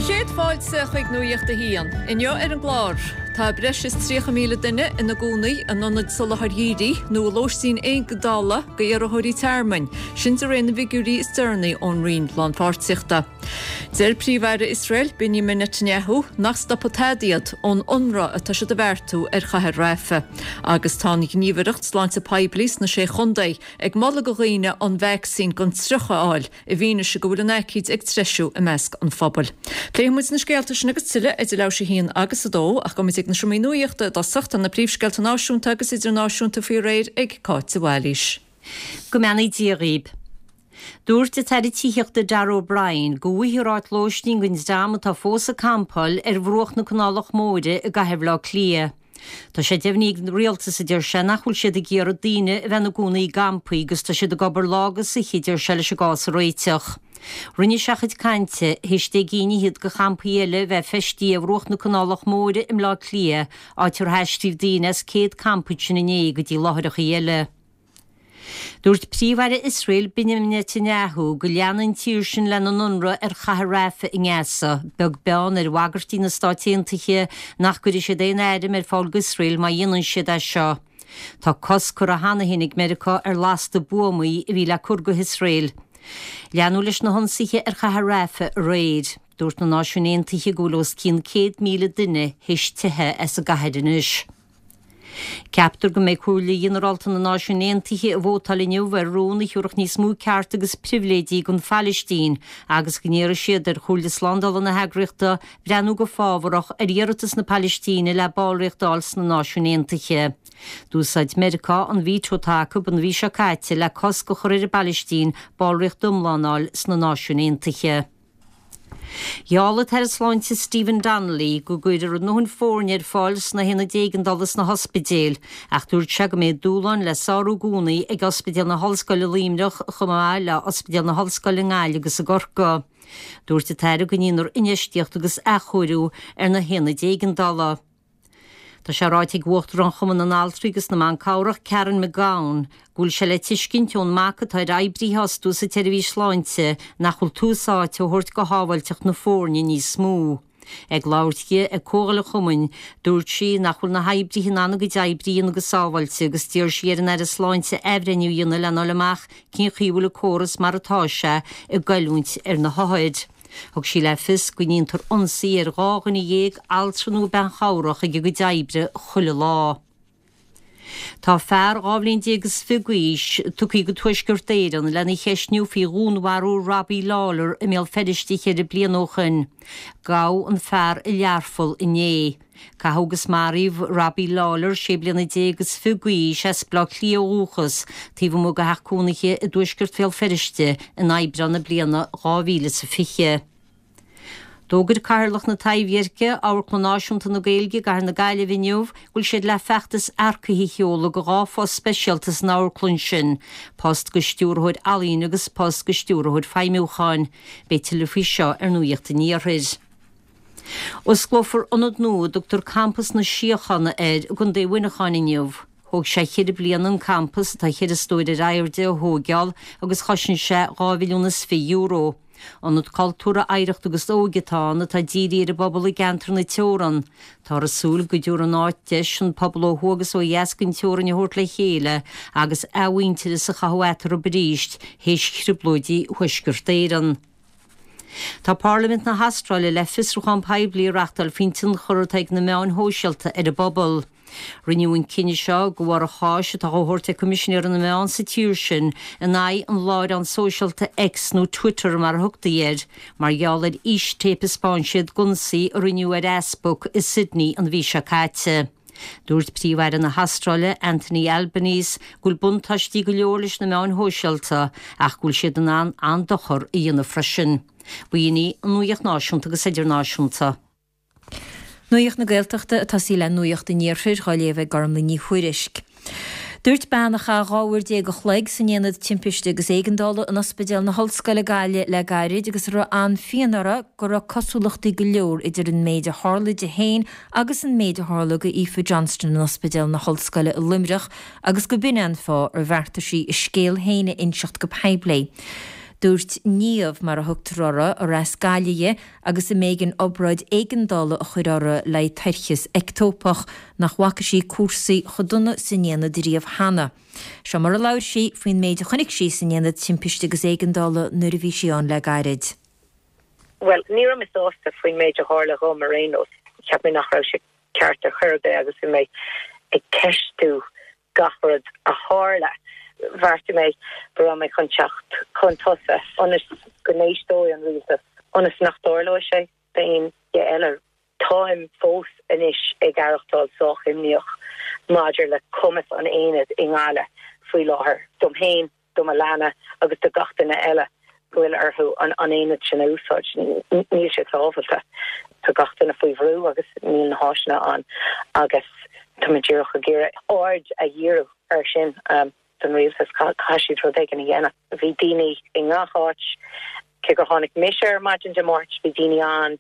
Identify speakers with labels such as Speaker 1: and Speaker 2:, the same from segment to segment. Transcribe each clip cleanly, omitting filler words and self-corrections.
Speaker 1: chéad fáilte chuig Nuacht a hAon. Inniu ar an gclár, tá breis is 30,000 duine ina gcónaí in ionaid soláthair dhírigh nó i lóistín éigeandála d'iarrthóirí tearmainn, sin de réir na bhfigiúirí is deireanaí ón Roinn Lánpháirtíochta. Deir Príomh-Aire Iosrael, Binyamin Netanyahu, nach stopfaidh tada iad ón ionradh atá siad a bheartú ar chathair Rafah. Agus tá an Ghníomhaireacht Sláinte Poiblí sna Sé Chontae ag moladh do dhaoine an vacsaín don triuch a fháil i bhfianaise go bhfuil an aicíd ag treisiú i measc an phobail. Pléifidh muid na scéalta sin agus tuilleadh idir leathuair tar éis a haon agus a dó, ach gabhfaidh muid ag na seomraí nuachta i dtosach. Tá na príomhscéalta náisiúnta agus idirnáisiúnta faoi réir ag Cáit de Bhailís.
Speaker 2: Go mbeannaí Dia dhaoib. Dúirt an tAire Tithíochta Darragh O'Brien go bhfaighfear áit lóistín don dream atá fós ag campáil ar bhruach na Canálach Móire i gcathair Bhaile Átha Cliath. Tá sé deimhnithe ag an rialtas, a deir sé, nach bhfuil siad ag iarraidh daoine a bheith ina gcónaí i gcampaí agus tá siad ag obair lá agus oíche, a deir sé, leis an gcás a réiteach. Rinne sé a chuid cainte théis 10 gcinn fhichead de champaí eile a bheith feistithe ar bhruach na Canálach Móire i mBleá Cliath, áit ar haistríodh daoine as 100 campa ansin inné go dtí láithreacha eile. Dúirt Príomh-Aire Iosrael Binyamin Netanyahu go leanfaidh an tír sin lena n-ionradh ar chathair Rafah i nGaza, beag beann ar bhagairtí na Stáit Aontaithe nach gcuirfidh siad aon airm ar fáil d'Iosrael má dhéanann siad é seo. Tá cosc curtha cheana féin ag Meiriceá ar lasta buamaí a bhí le cur go hIosrael. Leanadh leis na hionsaithe ar chathair Rafah aréir. Dúirt na Náisiúin Aontaithe go bhfuil os cionn 100,000 duine théis teitheadh as an gcathair anois. Ceaptar go mbeidh Comhairle Ghinearálta na Náisiún Aontaithe ag vótáil inniu ar rún a thiúrfadh níos mó cearta agus pribhléidí don Phailistín agus go n-iarrfaidh siad ar Chomhairle Slándála na heagraíochta breathnú go fábharach ar iarratas na Pailistíne le ballraíocht a fháil sna Náisiúin Aontaithe. D'úsáid Meiriceá an veto atá acu an mhí seo caite le cosc a chur ar an bPailistín ballraíocht iomlán a fháil sna Náisiúin Aontaithe. Gheall an tAire Sláinte Stephen Donnelly go gcuirfear a ndóthain foirne ar fáil sna haonaid éigeandála sna hospidéil ach dúirt sé go mbeidh dúshláin le sárú i gcónaí ag Ospidéal na hOllscoile Luimneach chomh maith le Ospidéal na hOllscoile i nGaillimh agus i gCorcaigh. Dúirt an tAire go ndéanfar infheistíocht agus athchóiriú ar na haonaid éigeandála. Tá sé ráite ag Uachtarán Chumann na nAltraí agus na mBan Cabhrach, Karen McGowan, go bhfuil sé le tuiscint ón mbac atá ar oibrithe a fhostú sa tseirbhís sláinte nach bhfuil tús áite á thabhairt do shábháilteacht na foirne níos mó. Ag labhairt di ag comhdháil an chumainn, dúirt sí nach bhfuil na hoibrithe in ann a gcuid oibre a dhéanamh go sábháilte agus d'iarr sí ar an Aire Sláinte athbhreithniú a dhéanamh lena fháil amach cén chaoi a bhfuil an córas mar atá sé ag goilliúint ar na hothair. Thug sí le fios go ndéantar ionsaí ar 12 dhuine, altra nó bean chabhrach ag a gcuid oibre chuile lá. Tá fear 12 bhliain is fiche d'aois tugtha go Tuaisceart Éireann lena cheistniú faoi dhúnmharú Robbie Lawlor i mBéal Feirste cheithre bliana ó shin. Gabhadh an fear i Learpholl inné. Caitheadh agus maraíodh Robbie Lawlor, sé bliana déag is fiche d'aois, as Baile Átha Cliath ó dhúchas, taobh amuigh de theach cónaithe i dtuaisceart Bhéal Feirste in Aibreán na bliana 2020. D'fhógair Cathaoirleach na Taibhdheirce, Amharclann Náisiúnta na Gaeilge i gCathair na Gaillimhe inniu go bhfuil siad le feachtas earcaithe a sheoladh do dhá phost speisialta san amharclann sin, post do stiúrthóir ealaíne agus post do stiúrthóir feidhmiúcháin. Beidh tuilleadh faoi seo ar Nuacht an Iarthair. Osclófar ionad nua a dtugtar Campas na Síochána air i gContae Mhuineacháin inniu. Thóg sé cheithre bliana an campas, atá cheithre stór ar airde, a thóigeáil agus chosain sé €2 mhilliún. Ionad cultúrtha, oidhreachta agus óige atá ann atá dírithe ar an bpobal i gceantar na teorann. Táthar ag súil go dtabharfaidh an áit deis an pobal ó thuaidh agus ó dheas den teorainn a thabhairt le chéile agus athmhuintearas a chothú eatarthu arís théis thrioblóidí Thuaisceart Éireann. Tá Parlaimint na hAstráile le fiosrúchán poiblí a reachtáil faoin tionchar atá ag na meáin shóisialta ar an bpobal. Rinneadh an cinneadh seo de bharr an cháis atá á thabhairt ag Coimisinéir na Meán sa tír sin in aghaidh an láithreáin sóisialta X nó Twitter mar a thugtaí air, mar gheall ar fhístéip a 'spáin siad d'ionsaí a rinneadh ar easpag i Sydney an mhí seo caite. Dúirt Príomh-Aire na hAstráile, Anthony Albanese, go bhfuil buntáistí go leor leis na meáin shóisialta ach go bhfuil siad in ann an-dochar a dhéanamh freisin. B'in í an nuacht náisiúnta agus idirnáisiúnta.
Speaker 3: Nuacht na Gaeltachta ag tosaí le Nuacht an Iarthair dhá léamh ag Gormlaith Ní Thuairisg. Dúirt bean a chaith 12 uair a chloig san Aonad Timpiste agus Éigeandála in Ospidéal na hOllscoile Gaillimh le gairid agus a raibh an-phian uirthi go raibh cosúlachtaí go leor idir an méid a tharla di féin agus an méid a tharla go Aoife Johnston in Ospidéal na hOllscoile i Luimneach agus go b'in é an fáth ar bheartaigh sí a scéal féin a inseacht go poiblí. Dúirt Niamh, mar a thugtar uirthi, ar as Gaillimh di agus a mb'éigean obráid éigeandála a chur uirthi le haghaidh toircheas eictópach, nach bhfaca sí cúrsaí chomh dona san aonad riamh cheana. Seo mar a labhair sí faoin méid a chonaic sí san Aonad Timpiste agus Éigeandála nuair a bhí sí ann le gairid.
Speaker 4: Bhuel, ní raibh mé sásta faoin méid a tharla dhom ar aon nós. Cheap mé nach raibh sé ceart ar chor ar bith agus bhí mé ag ceistiú gach rud a tharla. Bheartaigh mé go raibh mé chun teacht chun tosaigh ionas go n-éisteoidh an rialtas, ionas nach dtarlóidh sé d'aon duine eile. Táim fós anois ag aireachtáil sách imníoch maidir le cumas an aonaid i nGaillimh faoi láthair, dom féin, do mo leanbh agus do gach duine eile go bhfuil orthu an aonad sin a úsáid. Níl sé sábháilte. Tá gach duine faoi bhrú agus níl na háiseanna ann agus tá mé díreach ag iarraidh aird a dhíriú air sin don rialtas. Caithfidh siad rud éigin a dhéanamh. Bhí daoine i ngach áit. Cé gur tháinig mise ar maidin Dé Máirt, bhí daoine ann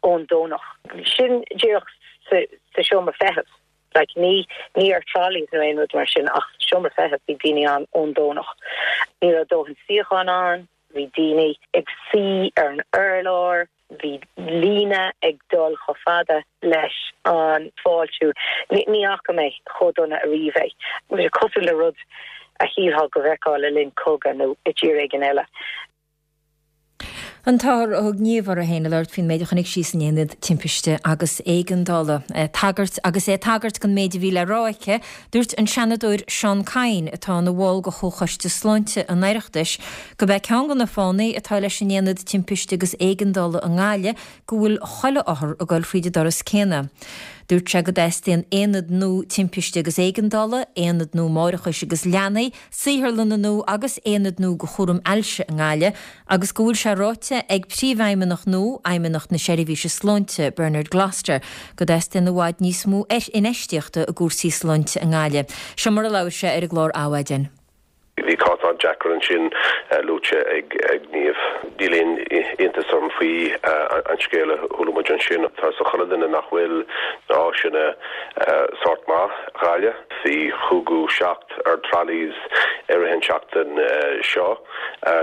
Speaker 4: ón Domhnach. Sin díreach sa seomra feithimh. Like, ní, ní ar trolleys nó aon rud mar sin ach sa seomra feithimh bhí daoine ann ón Domhnach. Ní raibh dóthain suíochán ann, bhí daoine ag suí ar an urlár, bhí líne ag dul chomh fada leis an fáiltiú. Ní, ní fhaca mé chomh dona ariamh é. Bhí sé cosúil le rud a shílfeá go bhfeicfeá le linn cogadh nó i dtír éigin eile.
Speaker 3: An t-othar a thug Niamh uirthi féin ag labhairt faoin méid a chonaic sí san aonad timpiste agus éigeandála. Tagairt Agus é ag tagairt don méid a bhí le rá aici, dúirt an Seanadóir Seán Kyne, atá ina bhall de Chomhchoiste Sláinte an Oireachtais, gurb é ceann de na fáthanna atá leis an aonad timpiste agus éigeandála i nGaillimh go bhfuil chuile othar ag dul fríd an doras céanna. Dúirt sé go dteastaíonn aonad nua timpiste agus éigeandála, aonad nua máithreachais agus leanaí, saotharlanna nua agus aonad nua do chúram ailse i nGaillimh agus go bhfuil sé ráite ag Príomhfheidhmeannach nua Fheidhmeannacht na Seirbhíse Sláinte, Bernard Gloster, go dteastaíonn i bhfad níos mó infheistíochta i gcúrsaí sláinte i nGaillimh. Seo mar a labhair sé ar an gclár Adhmhaidin.
Speaker 5: Bhí cás an-deacair ansin luaite ag Niamh. Níl aon iontas orm faoi an scéal a chuala muid ansin. Tá 'fhios ag chuile duine nach bhfuil na háiseanna sórt maith i Gaillimh. Bhí cúigiú 7 ar trolleys i rith an tseachtain seo.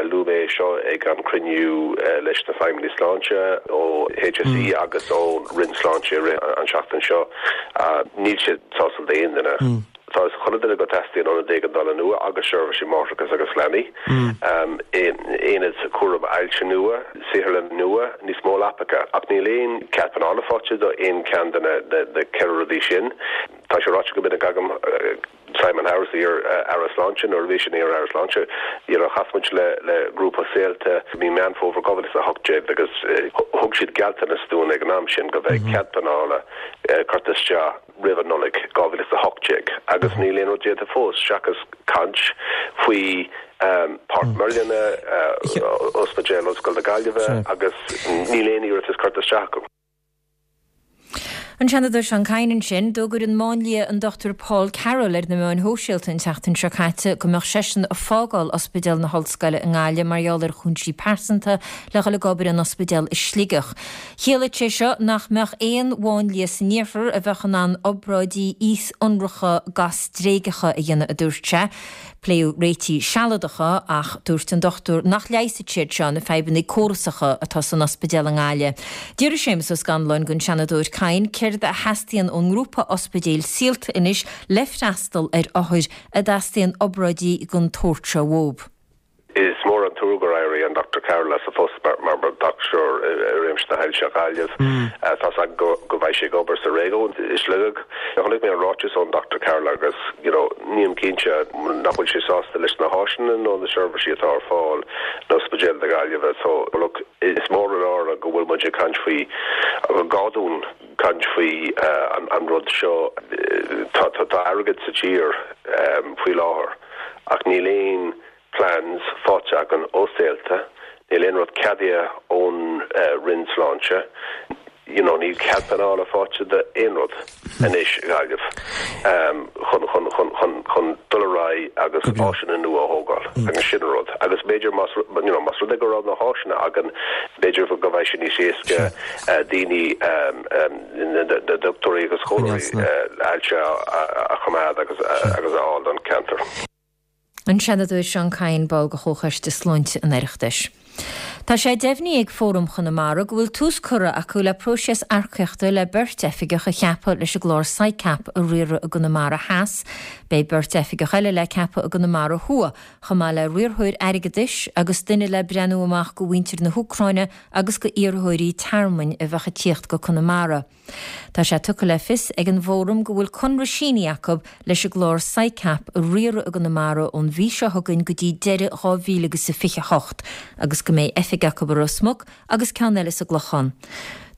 Speaker 5: Luaigh mé é seo ag an cruinniú leis na feidhmeannaigh sláinte ó HSE agus ón Roinn Sláinte i rith an tseachtain seo. Níl sé sásúil d'aon duine. Tá 'fhios ag chuile duine go dteastaíonn ionad éigeandála nua agus seirbhísí máithreachais agus leanaí, aonad cúram ailse nua, saotharlann nua, níos mó leapacha. Ach níl aon cead pleanála faighte do aon cheann de na ceithre rudaí sin. Tá sé ráite go minic agam, Simon Harris, iar-Aire Sláinte, nuair a bhí sé ina iar-Aire Sláinte, you know, chas muid le le grúpa Saolta i mí Meán Fómhair 2018 agus thug siad gealltanas dúinn ag an am sin go mbeidh cead pleanála curtha isteach roimh an Nollaig 2018 agus níl aon rud déanta fós seachas caint faoi Páirc Muirlinne, Ospidéal Ollscoil na Gaillimhe agus níl aon iarratas curtha isteach acu.
Speaker 3: An Seanadóir Seán Kyne ansin. D'fhógair an máinlia an Dr Paul Carroll ar na meáin shóisialta an tseachtain seo caite go mbeadh seisean ag fágáil Ospidéal na hOllscoile i nGaillimh mar gheall ar chúinsí pearsanta le dhul ag obair in ospidéal i Sligeach. Chiallaigh sé seo nach mbeadh aon mháinlia san iarthar a bheadh in ann obráidí íos-ionracha gaistréigeacha a dhéanamh, a dúirt sé. Pléadh réitigh sealadacha ach dúirt an dochtúir nach leigheasfaidh siad seo na fadhbanna córasacha atá san ospidéal i nGaillimh. D'fhiafraigh Séamus Ó Scanláin den Seanadóir Kyne céard a theastaíonn ón ngrúpa ospidéil Saolta anois le freastal ar othair a dteastaíonn obráidí den tsórt seo uathu.
Speaker 5: Is mór an trua gur éirigh an Dr Carroll as a phost mar dhochtúir i réimse na hailse i Gaillimh. Tá's agam go mbeidh sé ag obair sa réigiún i Sligeach. Chonaic mé an ráiteas ón Dr Carroll agus you know nílim cinnte nach bhfuil sé sásta leis na háiseanna nó na seirbhísí atá ar fáil in Ospidéal na Gaillimhe. So look is mór an náire go bhfuil muid ag caint faoi gá dúinn caint faoi an rud seo. Tá airgead sa tír faoi láthair ach níl aon plans faighte againn ó Saolta, níl aon rud ceadaithe ón Roinn Sláinte, you know níl cead pleanála faighte d'aon rud anois i Gaillimh chun chun chun chun chun dul ar aghaidh agus áiseanna nua a thógáil agus sin an rud. Agus b'fhéidir más you know más rud é go raibh na háiseanna againn b'fhéidir go mbeidh sé níos éasca daoine na dochtúirí agus comhairleoirí ailse a choimeád agus agus a fháil don ceantar.
Speaker 3: An Seanadóir Seán Kyne, ball de Chomhchoiste Sláinte an Oireachtais. Tá sé deimhnithe ag Fóram Chonamara go bhfuil tús curtha acu le próiseas earcaíochta le beirt oifigeach a cheapadh leis an gclár SICAP a riaradh i gConamara Theas. Beidh beirt oifigeach eile le ceapadh i gConamara Thuaidh, chomh maith le riarthóir airgeadais agus duine le breathnú amach go mhuintir na hÚcráine agus go iarrthóirí tearmainn a bheadh ag tíocht go Conamara. Tá sé tugtha le fios ag an bhFóram go bhfuil conradh sínithe acu leis an gclár SICAP a riaradh i gConamara ón mhí seo chugainn go dtí deireadh 2028 agus go mbeidh oifig acu i Ros Muc agus ceann eile sa gClochán.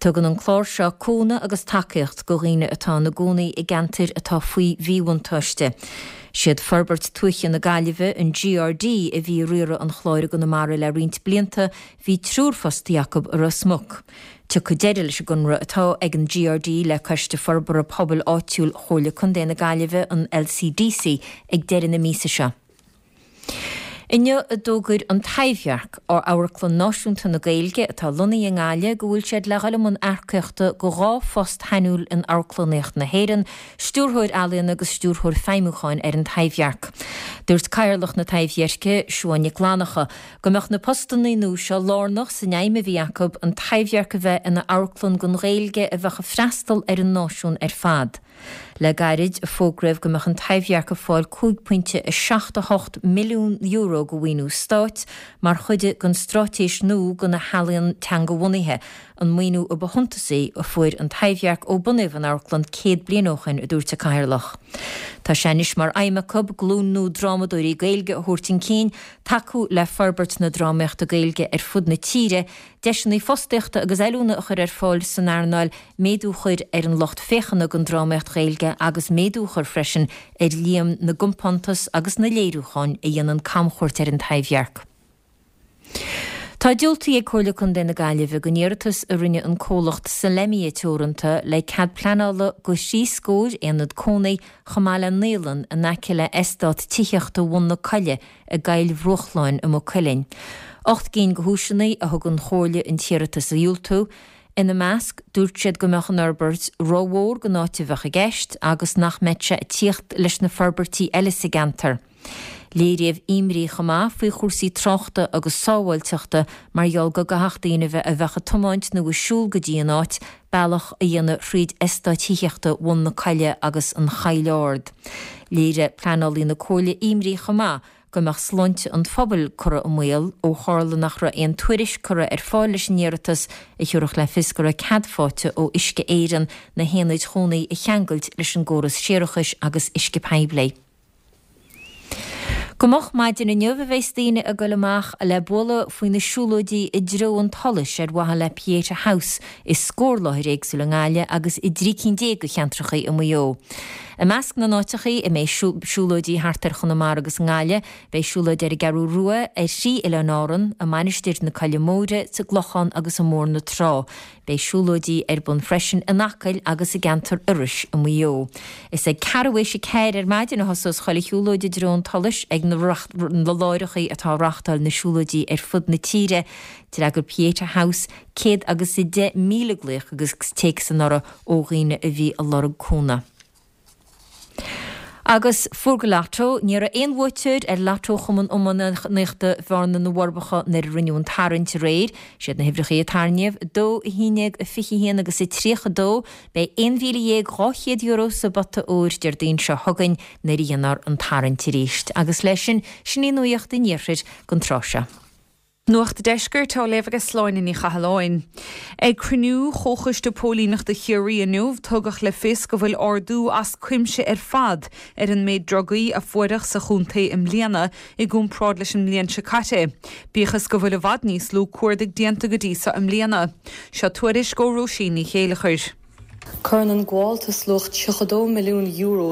Speaker 3: Tugann an clár seo cúnamh agus tacaíocht go dhaoine atá ina gcónaí i gceantair atá faoi mhíbhuntáiste. Siad Forbairt Tuaithe na Gaillimhe, an GRD, a bhí ag riaradh an chláir i gConamara le roinnt blianta, bhí triúr fostaí acu i Ros Muc. Tiocfaidh deireadh leis an gconradh atá ag an GRD le Coiste Forbartha Pobail Áitiúil Chomhairle Contae na Gaillimhe, an LCDC, ag deireadh na míosa seo. Inniu a d'fhógair An Taibhdhearc, Amharclann Náisiúnta na Gaeilge atá lonnaithe i nGaillimh, go bhfuil siad le dhul i mbun earcaíochta go 2 phost shainiúil in amharclannaíocht na hÉireann, Stiúrthóir Ealaíon agus Stiúrthóir Feidhmiúcháin ar An Taibhdhearc. Dúirt Cathaoirleach na Taibhdheirce, Siuán Nic Fhlannchadha, Go mbeadh na postanna nua seo lárnach san aidhm a bhí acu an Taibhdhearc a bheith ina amharclann don Ghaeilge a bheadh ag freastal ar an náisiún ar fad. Le gairid a fógraíodh go mbeadh an Taibhdhearc ag fáil €5.78 milliún de mhaoiniú stáit mar chuid den straitéis nua do na healaíon teangabhunaithe, an maoiniú a ba shuntasaí a fuair an Taibhdhearc ó bunaíodh an amharclann 100 bliain ó shin, a dúirt an Cathaoirleach. Tá sé anois mar aidhm acu glúin nua drámadóirí Gaeilge a thabhairt chun cinn, tacú le forbairt na drámaíochta Gaeilge ar fud na tíre, deiseanna fostaíochta agus oiliúna a chur ar fáil san earnáil, méadú a chur ar an lucht féachana don drámaíocht Ghaeilge agus méadú a chur freisin ar líon na gcompántas agus na léiriúchán a dhéanann camchuairt ar an Taibhdhearc. Tá diúltaithe ag Comhairle Contae na Gaillimhe don iarratas a rinne an comhlacht Solemia Teoranta le cead pleanála do thrí scór aonad cónaí chomh maith le naíolann in aice le eastát tithíochta Bhun na Coille i gCoill Bhruachláin i Maigh Cuilinn. 8 gcinn de chúiseanna a thug an Chomhairle an t-iarratas a dhiúltú. Ina measc, dúirt siad go mbeadh an fhorbairt rómhór don áit a bheadh i gceist agus nach mbeadh sé ag tíocht leis na forbairtí eile sa gceantar. Léiríodh imní chomh maith faoi chúrsaí tráchta agus sábháilteachta mar gheall go gcaithfeadh daoine a bheadh ag tiomáint nó ag siúl go dtí an áit, bealach a dhéanamh thríd eastáit thithíochta Bhun na Coille agus an Choill Ard. Léirigh pleanálaí na Comhairle imní chomh maith go mbeadh sláinte an phobail curtha i mbaol ó tharla nach raibh aon tuairisc curtha ar fáil leis an iarratas a thabharfadh le fios go raibh cead faighte ó Uisce Éireann na haonaid chónaí a cheangailt leis an gcóras séarachais agus uisce poiblí. Go moch maidin inniu a bheas daoine ag goil amach le bualadh faoi na siúlóidí i dtreo an tsolais ar mhaithe le Pieta House i scór láthair éagsúil i nGaillimh agus i dtrí cinn déag de cheantracha i Maigh Eo. I measc na n-áiteachaí a mbeidh siúlóidí thart ar Chonamara agus i nGaillimh, beidh siúlóid ar an gCeathrú Rua, ar thrí Oileáin Árann, i Mainistir na Coille Móire, sa gClochán agus i mBóthar na Trá. Beidh siúlóidí ar bun freisin in Acaill agus i gceantar Iorrais i Maigh Eo. Is ag ceathrú théis a ceathair ar maidin a thosós chuile shiúlóid i dtreo an tsolais ag na láithreachaí atá ag reáchtáil na siúlóidí ar fud na tíre. D'fhreagair Pieta House 110,000 glaoch agus téacs anuraidh ó dhaoine a bhí ag lorg cúnamh. Agus Fógra Lotto, Ní raibh aon bhuaiteoir ar Lotto Chumann Iománaíochta Bhearna na bhForbacha nuair a rinneadh an tarraingt aréir. Siad na huimhreacha a tarraingíodh, 2, 11, 21 agus 32. Beidh €11,200 sa bpota óir Déardaoin seo chugainn nuair a dhéanfar an tarraingt arís. Agus leis sin, sin í nuacht an Iarthair don tráth seo.
Speaker 6: Nuacht an Deiscirt á léamh ag Sláine Ní Chathalláin. Ag cruinniú Chomhchoiste Póilíneachta Chiarraí inniu, tugadh le fios go bhfuil ardú as cuimse ar fad ar an méid drugaí a fuaireadh sa chontae i mbliana i gcomparáid leis an mbliain seo caite, bíodh is go bhfuil i bhfad níos lú cuardaigh déanta go dtí so i mbliana. Seo tuairisc ó Róisín Ní Chéileachair.
Speaker 7: Cuireann an gabháltas luach €32 milliún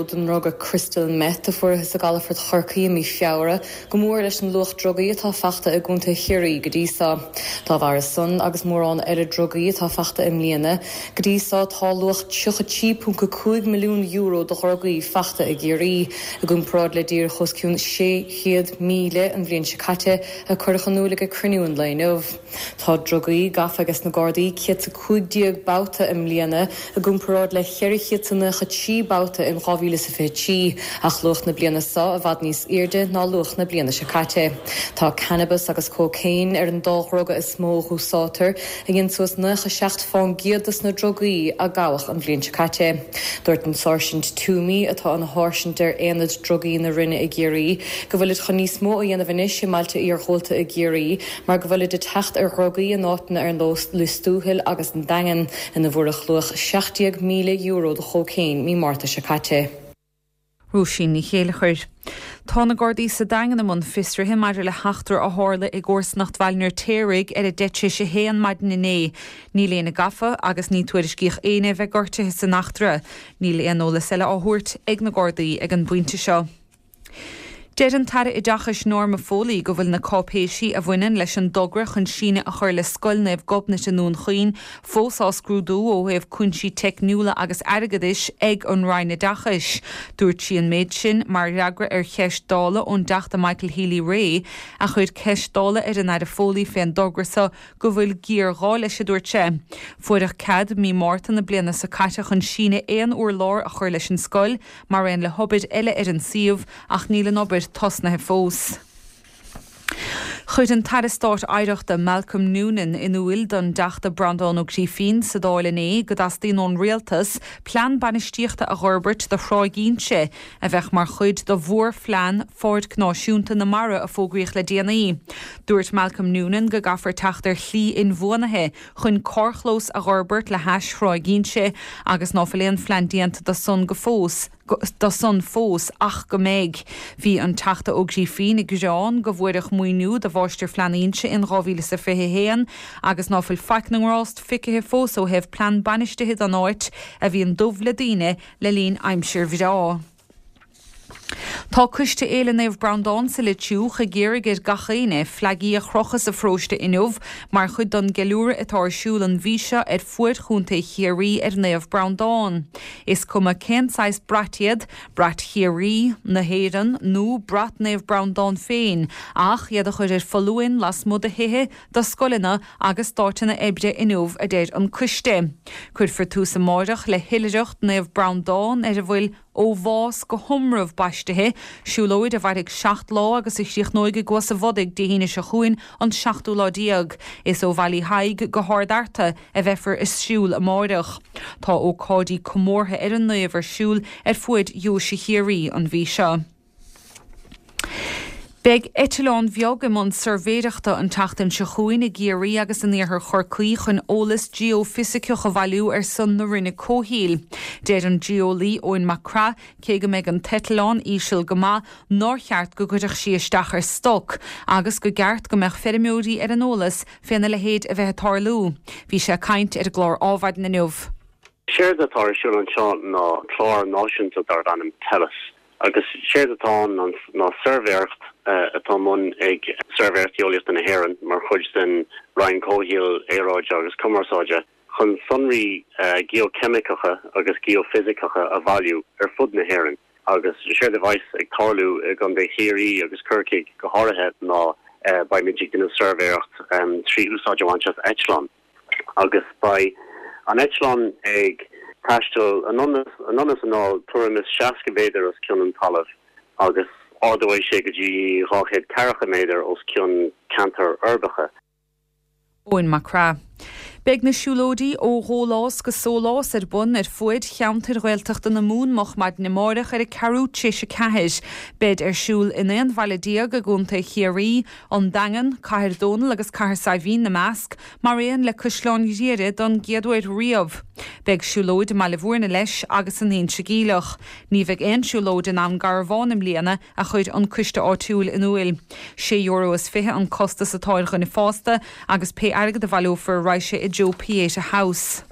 Speaker 7: den ndruga crystal meth a fuarthas i gcalafort Chorcaí i mí Feabhra go mór leis an luach drugaí atá fachta i gContae Chiarraí go dtí so. Dá bharra san, agus mórán eile drugaí atá fachta i mbliana go dtí so, tá luach €33.5 milliún de dhrugaí fachta i gCiarraí, i gcomparáid le díreach os cionn 600,000 an bhliain seo caite, a cuireadh in iúl ag cruinniú an lae inniu. Tá drugaí gafa ages na Gardaí 115 babhta i mbliana i. gcomparáid le 493 babhta in 2023, ach luach na bliana seo i bhfad níos airde ná luach na bliana seo caite. Tá cannabas agus cócaon ar an dá dhruga is mó a dh'úsáidtear, a dhein suas 97 fán gcéad dos na drugaí a gabhadh an bhliain seo caite. Dúirt an Sáirsint Twomey, atá ina sháirsint ar Aonad Drugaí na Roinne i gCiarraí, go bhfuilid chun níos mó a dhéanamh anois i mbailte iarghúlta i gCiarraí mar go bhfuilid ag teacht ar dhrugaí in áiteanna ar nós Lios Tuathail agus an Daingean, ina bhfuaireadh luach €17,000 de chócaon mí Márta seo caite.
Speaker 6: Róisín Ní Chéilleachair. Tá na Gardaí sa Daingean i mbun fiosraithe maidir le heachtra a tharla i gcomharsanacht Bhaile an Fheirtéaraigh ar 10 tar éis 1 maidin inné. Níl éinne gafa agus ní tuairiscíodh éinne a bheith gortaithe san eachtra. Níl aon eolas eile á thabhairt ag na Gardaí ag an bpointe seo. Deir an tAire Oideachais Norma Foley go bhfuil na cáipéisí a bhaineann leis an dtogra chun síneadh a chur le Scoil Naomh Gobnait i nDún Chaoin fós á scrúdú ó thaobh cúinsí teicniúla agus airgeadais ag an Roinn Oideachais. Dúirt sí an méid sin mar fhreagra ar cheist Dála ón dTeachta Michael Healy-Rae a chuir ceist Dála ar an Aire Foley fén dtogra so go bhfuil géarghá leis, a dúirt sé. Fuaireadh cead mí Márta na bliana so caite chun síneadh aon urlár a chur leis an scoil, mar aon le hobair eile ar an suíomh, ach níl an obair tosnaithe fós. Chuir an tAire Stáit Oidhreachta Malcolm Noonan in iúil don dTeachta Breandán Ó Grífín sa Dáil inné go dteastaíonn ón Rialtas plean bainistíochta a dh'fhorbairt do Thráigh Inse a bheadh mar chuid de mhórphlean Pháirc Náisiúnta na Mara a fógraíodh le déanaí. Dúirt Malcolm Noonan go gcaithfear teacht ar shlí inbhuanaithe chun carrchlós a dh'fhorbairt le hais Thráigh Inse agus ná fuil aon phlean déanta do san go fós do san fós ach go mbeidh. Bhí an Teachta Ó Grífín ag gearán go bhfuaireadh maoiniú do Mháistirphlean Inse in 2021 agus ná fuil faic na ngrást feicthe fós ó thaobh plean bainistithe don áit a bhíonn dubh le daoine le linn aimsir bhreá. Tá Coiste Fhéile Naomh Breandán sa Leitriúch ag iarraidh ar gach éinne fleagaí a chrochadh sa pharóiste inniu mar chuid don gceiliúradh atá ar siúl an mhí seo ar fuaid Chontae Chiarraí ar Naomh Breandán. Is cuma cén saghas brait iad, brait Chiarraí, na hÉireann nó brat Naomh Breandán féin, ach iad a chur ar foluain lasmuigh de thithe, de scoileanna agus d'áiteanna oibre inniu, a deir an coiste. Cuirfear tús amáireach le hoilithreacht Naomh Breandán ar a bhfuil Ó Bhás go hIomramh baistithe, siúlóid a mhairfidh 7 lá agus a chríochnóidh i gCuas a' Bhodaigh Dé hAoine seo chugainn, an seachtú lá déag. Is ó Bhaile Uí Thaidhg go hArd Fhearta a bheifear ag siúl amáireach. Tá ócáidí comórtha ar an naomh ar siúl ar fuaid Dheoise Chiarraí an mhí seo. Beidh eitleán bheag i mbun suirbhéireachta an tseachtain seo chugainn i gCiarraí agus in iarthar Chorcaí chun eolas geoifisiceach a bhailiú ar son na Roinne Comhshaoil. Deir an geolaí Eoin Mac Craith, cé go mbeidh an t-eitleán íseal go maith, nár cheart go gcuirfeadh sí isteach ar stoc agus go gceart go mbeadh feirmeoirí ar an eolas féna leithéid a bheith ag tarlú. Bhí sé ag caint ar an gclár Ádhmhaidin inniu.
Speaker 8: Séard atá ar siúl anseo ná clár náisiúnta darb ainm Tellus agus séard atá ann ná suirbhéireacht atá i mbun ag Suirbhéireacht Gheolaíochta na hÉireann mar chuid den Roinn Comhshaoil, Aeráide agus Cumarsáide chun sonraí geocheimiceacha agus geoifisiceacha a bhailiú ar fud na hÉireann agus séard a bheas ag tarlú i gContae Chiarraí agus Corcaigh go háirithe ná beimid ag déanamh suirbhéireacht trí úsáid a bhaint as eitleán. agus beidh an eitleán ag taisteal anonn is anall tuairim is 60 méadar os cionn an talaimh agus ardóidh sé go dtí 200 ceathracha méadar os cionn ceantair uirbeacha.
Speaker 6: Eoin Mac Craith. Beidh na siúlóidí Ó Dhólás go Sólás ar bun ar fuaid cheantair Ghaeltachta na Mumhan moch maidin amáireach ar a ceathrú tar éis a ceathair. Beid ar siúl in 11 bhaile i gContae Chiarraí, An Daingean, Cathair Dónall agus Cathair Saidhbhín 'na measc, mar aon le Caisleán Ghriaire don gcéad uair riamh. Beidh siúlóid i mBaile Bhúirne leis agus in Inse Geimhleach. Ní bheidh aon siúlóid i nDún Garbhán i mbliana, a chuir an coiste áitiúil in iúil. Sé euro is fiche an costas atá ar dhuine fásta agus pé airgead a bhaileofar raghaidh sé i dtreo Pieta House.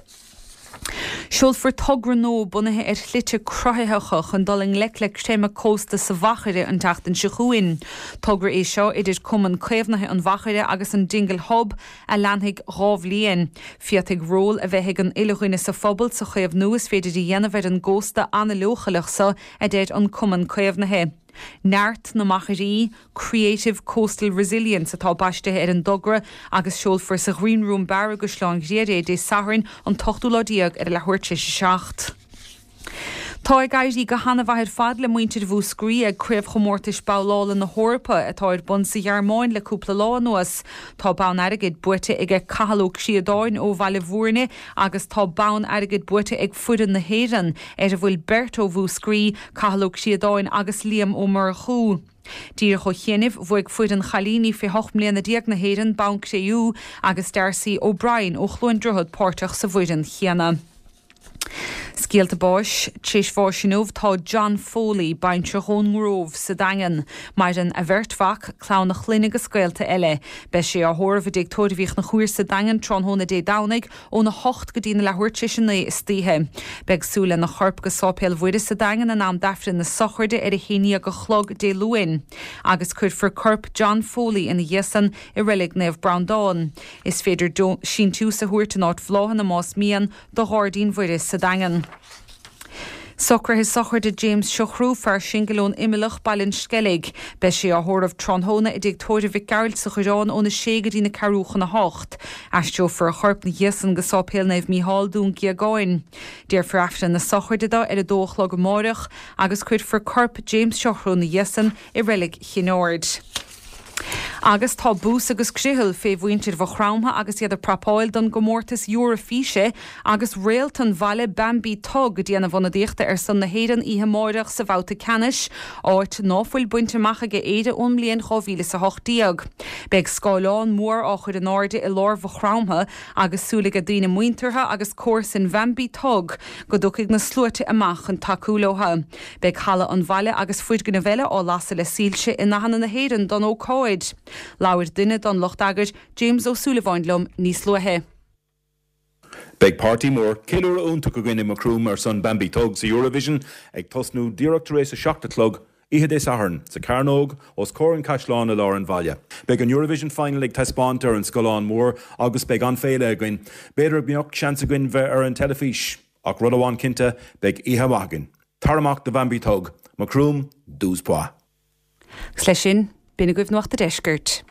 Speaker 6: Seolfar togra nua bunaithe ar shlite cruthaitheacha chun dul i ngleic le creimeadh cósta sa Mhachaire an tseachtain seo chugainn. Togra é seo idir Cumann Caomhnaithe an Mhachaire agus an Dingle Hub a leanfaidh 2 bhliain. Féadfaidh ról a bheith ag an uile dhuine sa phobal sa chaomhnú is féidir a dhéanamh ar an gcósta an-leochaileach seo, a deir an Cumann Caomhnaithe. Neart na Machairí, Creative Coastal Resilience atá baistithe ar an dtogra agus seolfar sa Ghreen Room Bar i gCaisleán Ghriaire é Dé Sathairn an t-ochtú lá déag ar a leathuair tar éis a 7. Tá ag éirí go hana-mhaith ar fad le muintir Mhúscraí ag Craobhchomórtais Babhlála na hEorpa atá ar bun sa Ghearmáin le cúpla lá anuas. Tá bonn airgid buaite aige Cathal Ó Críodáin ó Bhaile Bhúirne agus tá bonn airgid buaite ag foireann na hÉireann, ar a bhfuil beirt ó Mhúscraí, Cathal Ó Críodáin agus Liam Ó Murchú. Díreach ó chianaibh, bhuaigh foireann chailíní fé 18 mbliana na hÉireann bonn cré-umha agus Darcy O'Brien ó Chluain Droichead páirteach sa bhfoireann chéanna. Scéalta báis, Tar éis bháis inniu tá John Foley, baintreach ón nGrove sa Daingean. Maireann a bheirt mhac, clann a chlainne agus gaolta eile. Beidh sé á thórramh i dTigh Tórraimh Uí Chonchúir sa Daingean tráthnóna Dé Domhnaigh óna hocht go dtí na leathuair tar éis a 9 istoíche. Beidh súil lena chorp go Sáipéal Mhuire sa Daingean in am d'Aifreann na sochraide ar a haon dhéag a chlog Dé Luain. Agus cuirfear corp John Foley ina dhiaidh san i Reilig Naomh Breandán. Is féidir síntiús a thabhairt in áit bhláthanna más mian do Ghairdín Mhuire sa Daingean. Socruithe sochraide James Siochrú, fear singil ón Imileach, Baile an Sceilg. Beidh sé á thórramh tráthnóna i dTigh Tórraimh Mhic Gearailt sa Choireán óna sé go dtí na ceathrú chun a hocht. Aistreofar a chorp 'na dhiaidh san go Sáipéal Naomh Mícheál, Dún Géagáin. Déarfar Aifreann na sochraide do ar a dó a chlog amáireach agus cuirfear corp James Siochrú 'na dhiaidh san i Reilig Chinn Aird. Agus tá bús agus griothal fé mhuintir Mhaigh Chromtha agus iad ag prapáil don gcomórtas Eoraifíse agus réalt an bhaile Bambie Thug ag déanamh ionadaíochta ar son na hÉireann oíche amáireach sa bhabhta ceannais, áit ná fuil bainte amach aige Éire ón mbliain 2018. Beidh scáileán mór á chur in airde i lár Mhaigh Chromtha agus súil aige daoine muinteartha agus comharsain Bhambie Thug go dtiocfaidh na sluaite amach chun tacú leotha. Beidh halla an bhaile agus foirgnimh eile á lasadh le soilse i ndathanna na hÉireann don ócáid. Labhair duine don lucht eagair, James Ó Súilleabháin liom níos luaithe.
Speaker 9: Beidh páirtí mór, ceiliúradh iontach againn i Macroom ar son Bambie Thug sa Eurovision ag tosnú díreach tar éis a 7 a chlog oíche Dé Sathairn sa Cearnóg os comhair an Caisleáin i lár an bhaile. Beidh an Eurovision Final ag taispeáint ar an scáileán mór agus beidh an-fhéile againn. B'fhéidir go mbeadh seans againn bheith ar an teilifís! Ach rud amháin cinnte, beidh oíche mhaith againn. Tar amach do Bhambie Thug! Macroom, douze points.
Speaker 6: Agus leis sin, b'in agaibh Nuacht a' Deiscirt.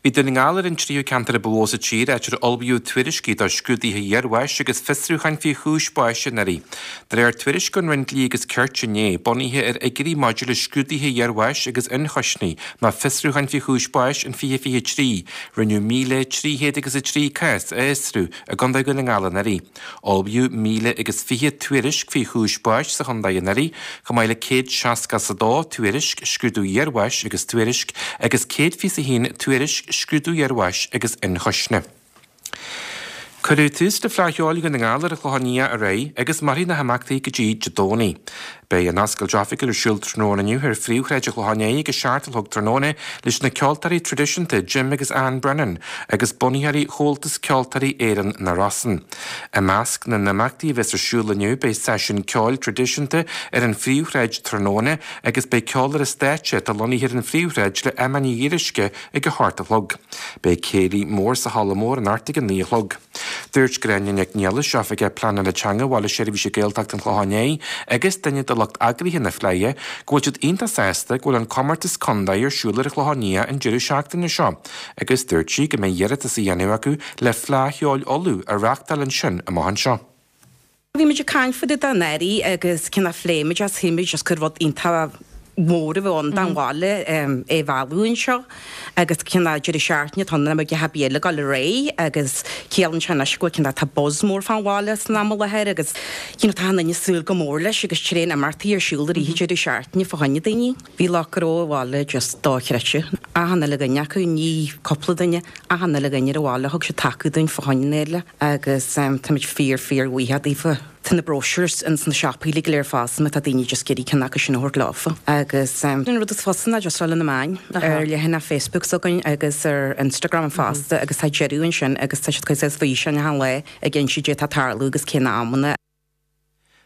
Speaker 10: Bhí Dún na nGall ar an tríú ceantar a ba mhó sa tír áit ar ullmhaíodh tuairiscí do scrúduithe iarbháis agus fiosrúcháin faoi chúis báis anuraidh. De réir tuairisc ón Roinn Dlí agus Cirt inné, bunaithe ar fhigiúirí maidir le scrúduithe iarbháis agus ionchoisní nó fiosrúcháin faoi chúis báis in 2023, Rinneadh 1,300 agus 3 cás a fhiosrú i gContae Dhún na nGall anuraidh. Ullmhaíodh 1,000 agus 20 tuairisc faoi chúis báis sa chontae anuraidh, chomh maith le 162 tuairisc scrúdú iarbháis agus tuairisc agus 121 tuairisc scrúdú iarbháis agus ionchoisne. Cuireadh tús le Fleadh Cheoil Dhún na nGall ar an Chlochán Liath aréir agus mairfidh na himeachtaí go dtí Dé Domhnaigh. Beidh an oscailt oifigiúil ar siúl tráthnóna inniu ar phríomhshráid an Chlocháin Léith ag a 7 a chlog tráthnóna leis na ceoltóirí traidisiúnta Jim agus Ann Brennan agus bunaitheoirí Chomhaltas Ceoltóirí Éireann na Rosann. I measc na n-imeachtaí a bheas ar siúl inniu beidh seisiún ceoil traidisiúnta ar an phríomhshráid tráthnóna agus beidh ceol ar an stáitse atá lonnaithe ar an phríomhshráid le Emma Ní Fhíoruisce ag a hocht a chlog. Beidh céilí mór sa halla mór anocht ag a naoi a chlog. Dúirt Gráinne Nic Niallais, Oifigeach Pleanála Teanga Bhaile Seirbhíse Gaeltachta an Chlocháin Léith agus duine de lucht eagraithe na Fleidhe, go bhfuil siad iontach sásta go bhfuil an comórtas contae ar siúl ar an Chlochán Liath an deireadh seachtaine seo agus dúirt sí go mbeidh iarratas á dhéanamh acu le Fleadh Cheoil Uladh a reáchtáil ansin amach anseo.
Speaker 11: Bhí muid ag caint fá dtaobh de anuraidh agus cineál phléigh muid as shíl muid just gur rud iontach mór a bheadh ann don bhaile é a mhealladh anseo agus cineál deireadh seachtaine atá ann nach mbeadh a dhath ar bith eile ag dul ar aghaidh agus ciallaíonn sé anois go bhfuil cineál tá buzz mór fán bhaile san am i láthair agus you know tá achan duine ag súil go mór leis agus tréan imeachtaí ar siúl i rith an deireadh seachtaine fá choinne daoine. Bhí lucht gnó an bhaile just dochreidte. Achan uile dhuine acu, ní cúpla duine, achan uile dhuine ar an bhaile thug siad taca dúinn fá choinne an fhéile agus táimid fíor fíor bhuíoch daofa. Tá na brochures ins na siopaí uilig go léir fosta má tá daoine just ag iarraidh ceann acu sin a thabhairt leofa. Agus an rud is fusa ná just dul ar na meáin, ar leathanach Facebook s'againn agus ar Instagram fosta agus tá deireadh ansin agus tá siad ag cur suas físeáin achan lá ag inse caidé atá ag tarlú agus cé na amanna.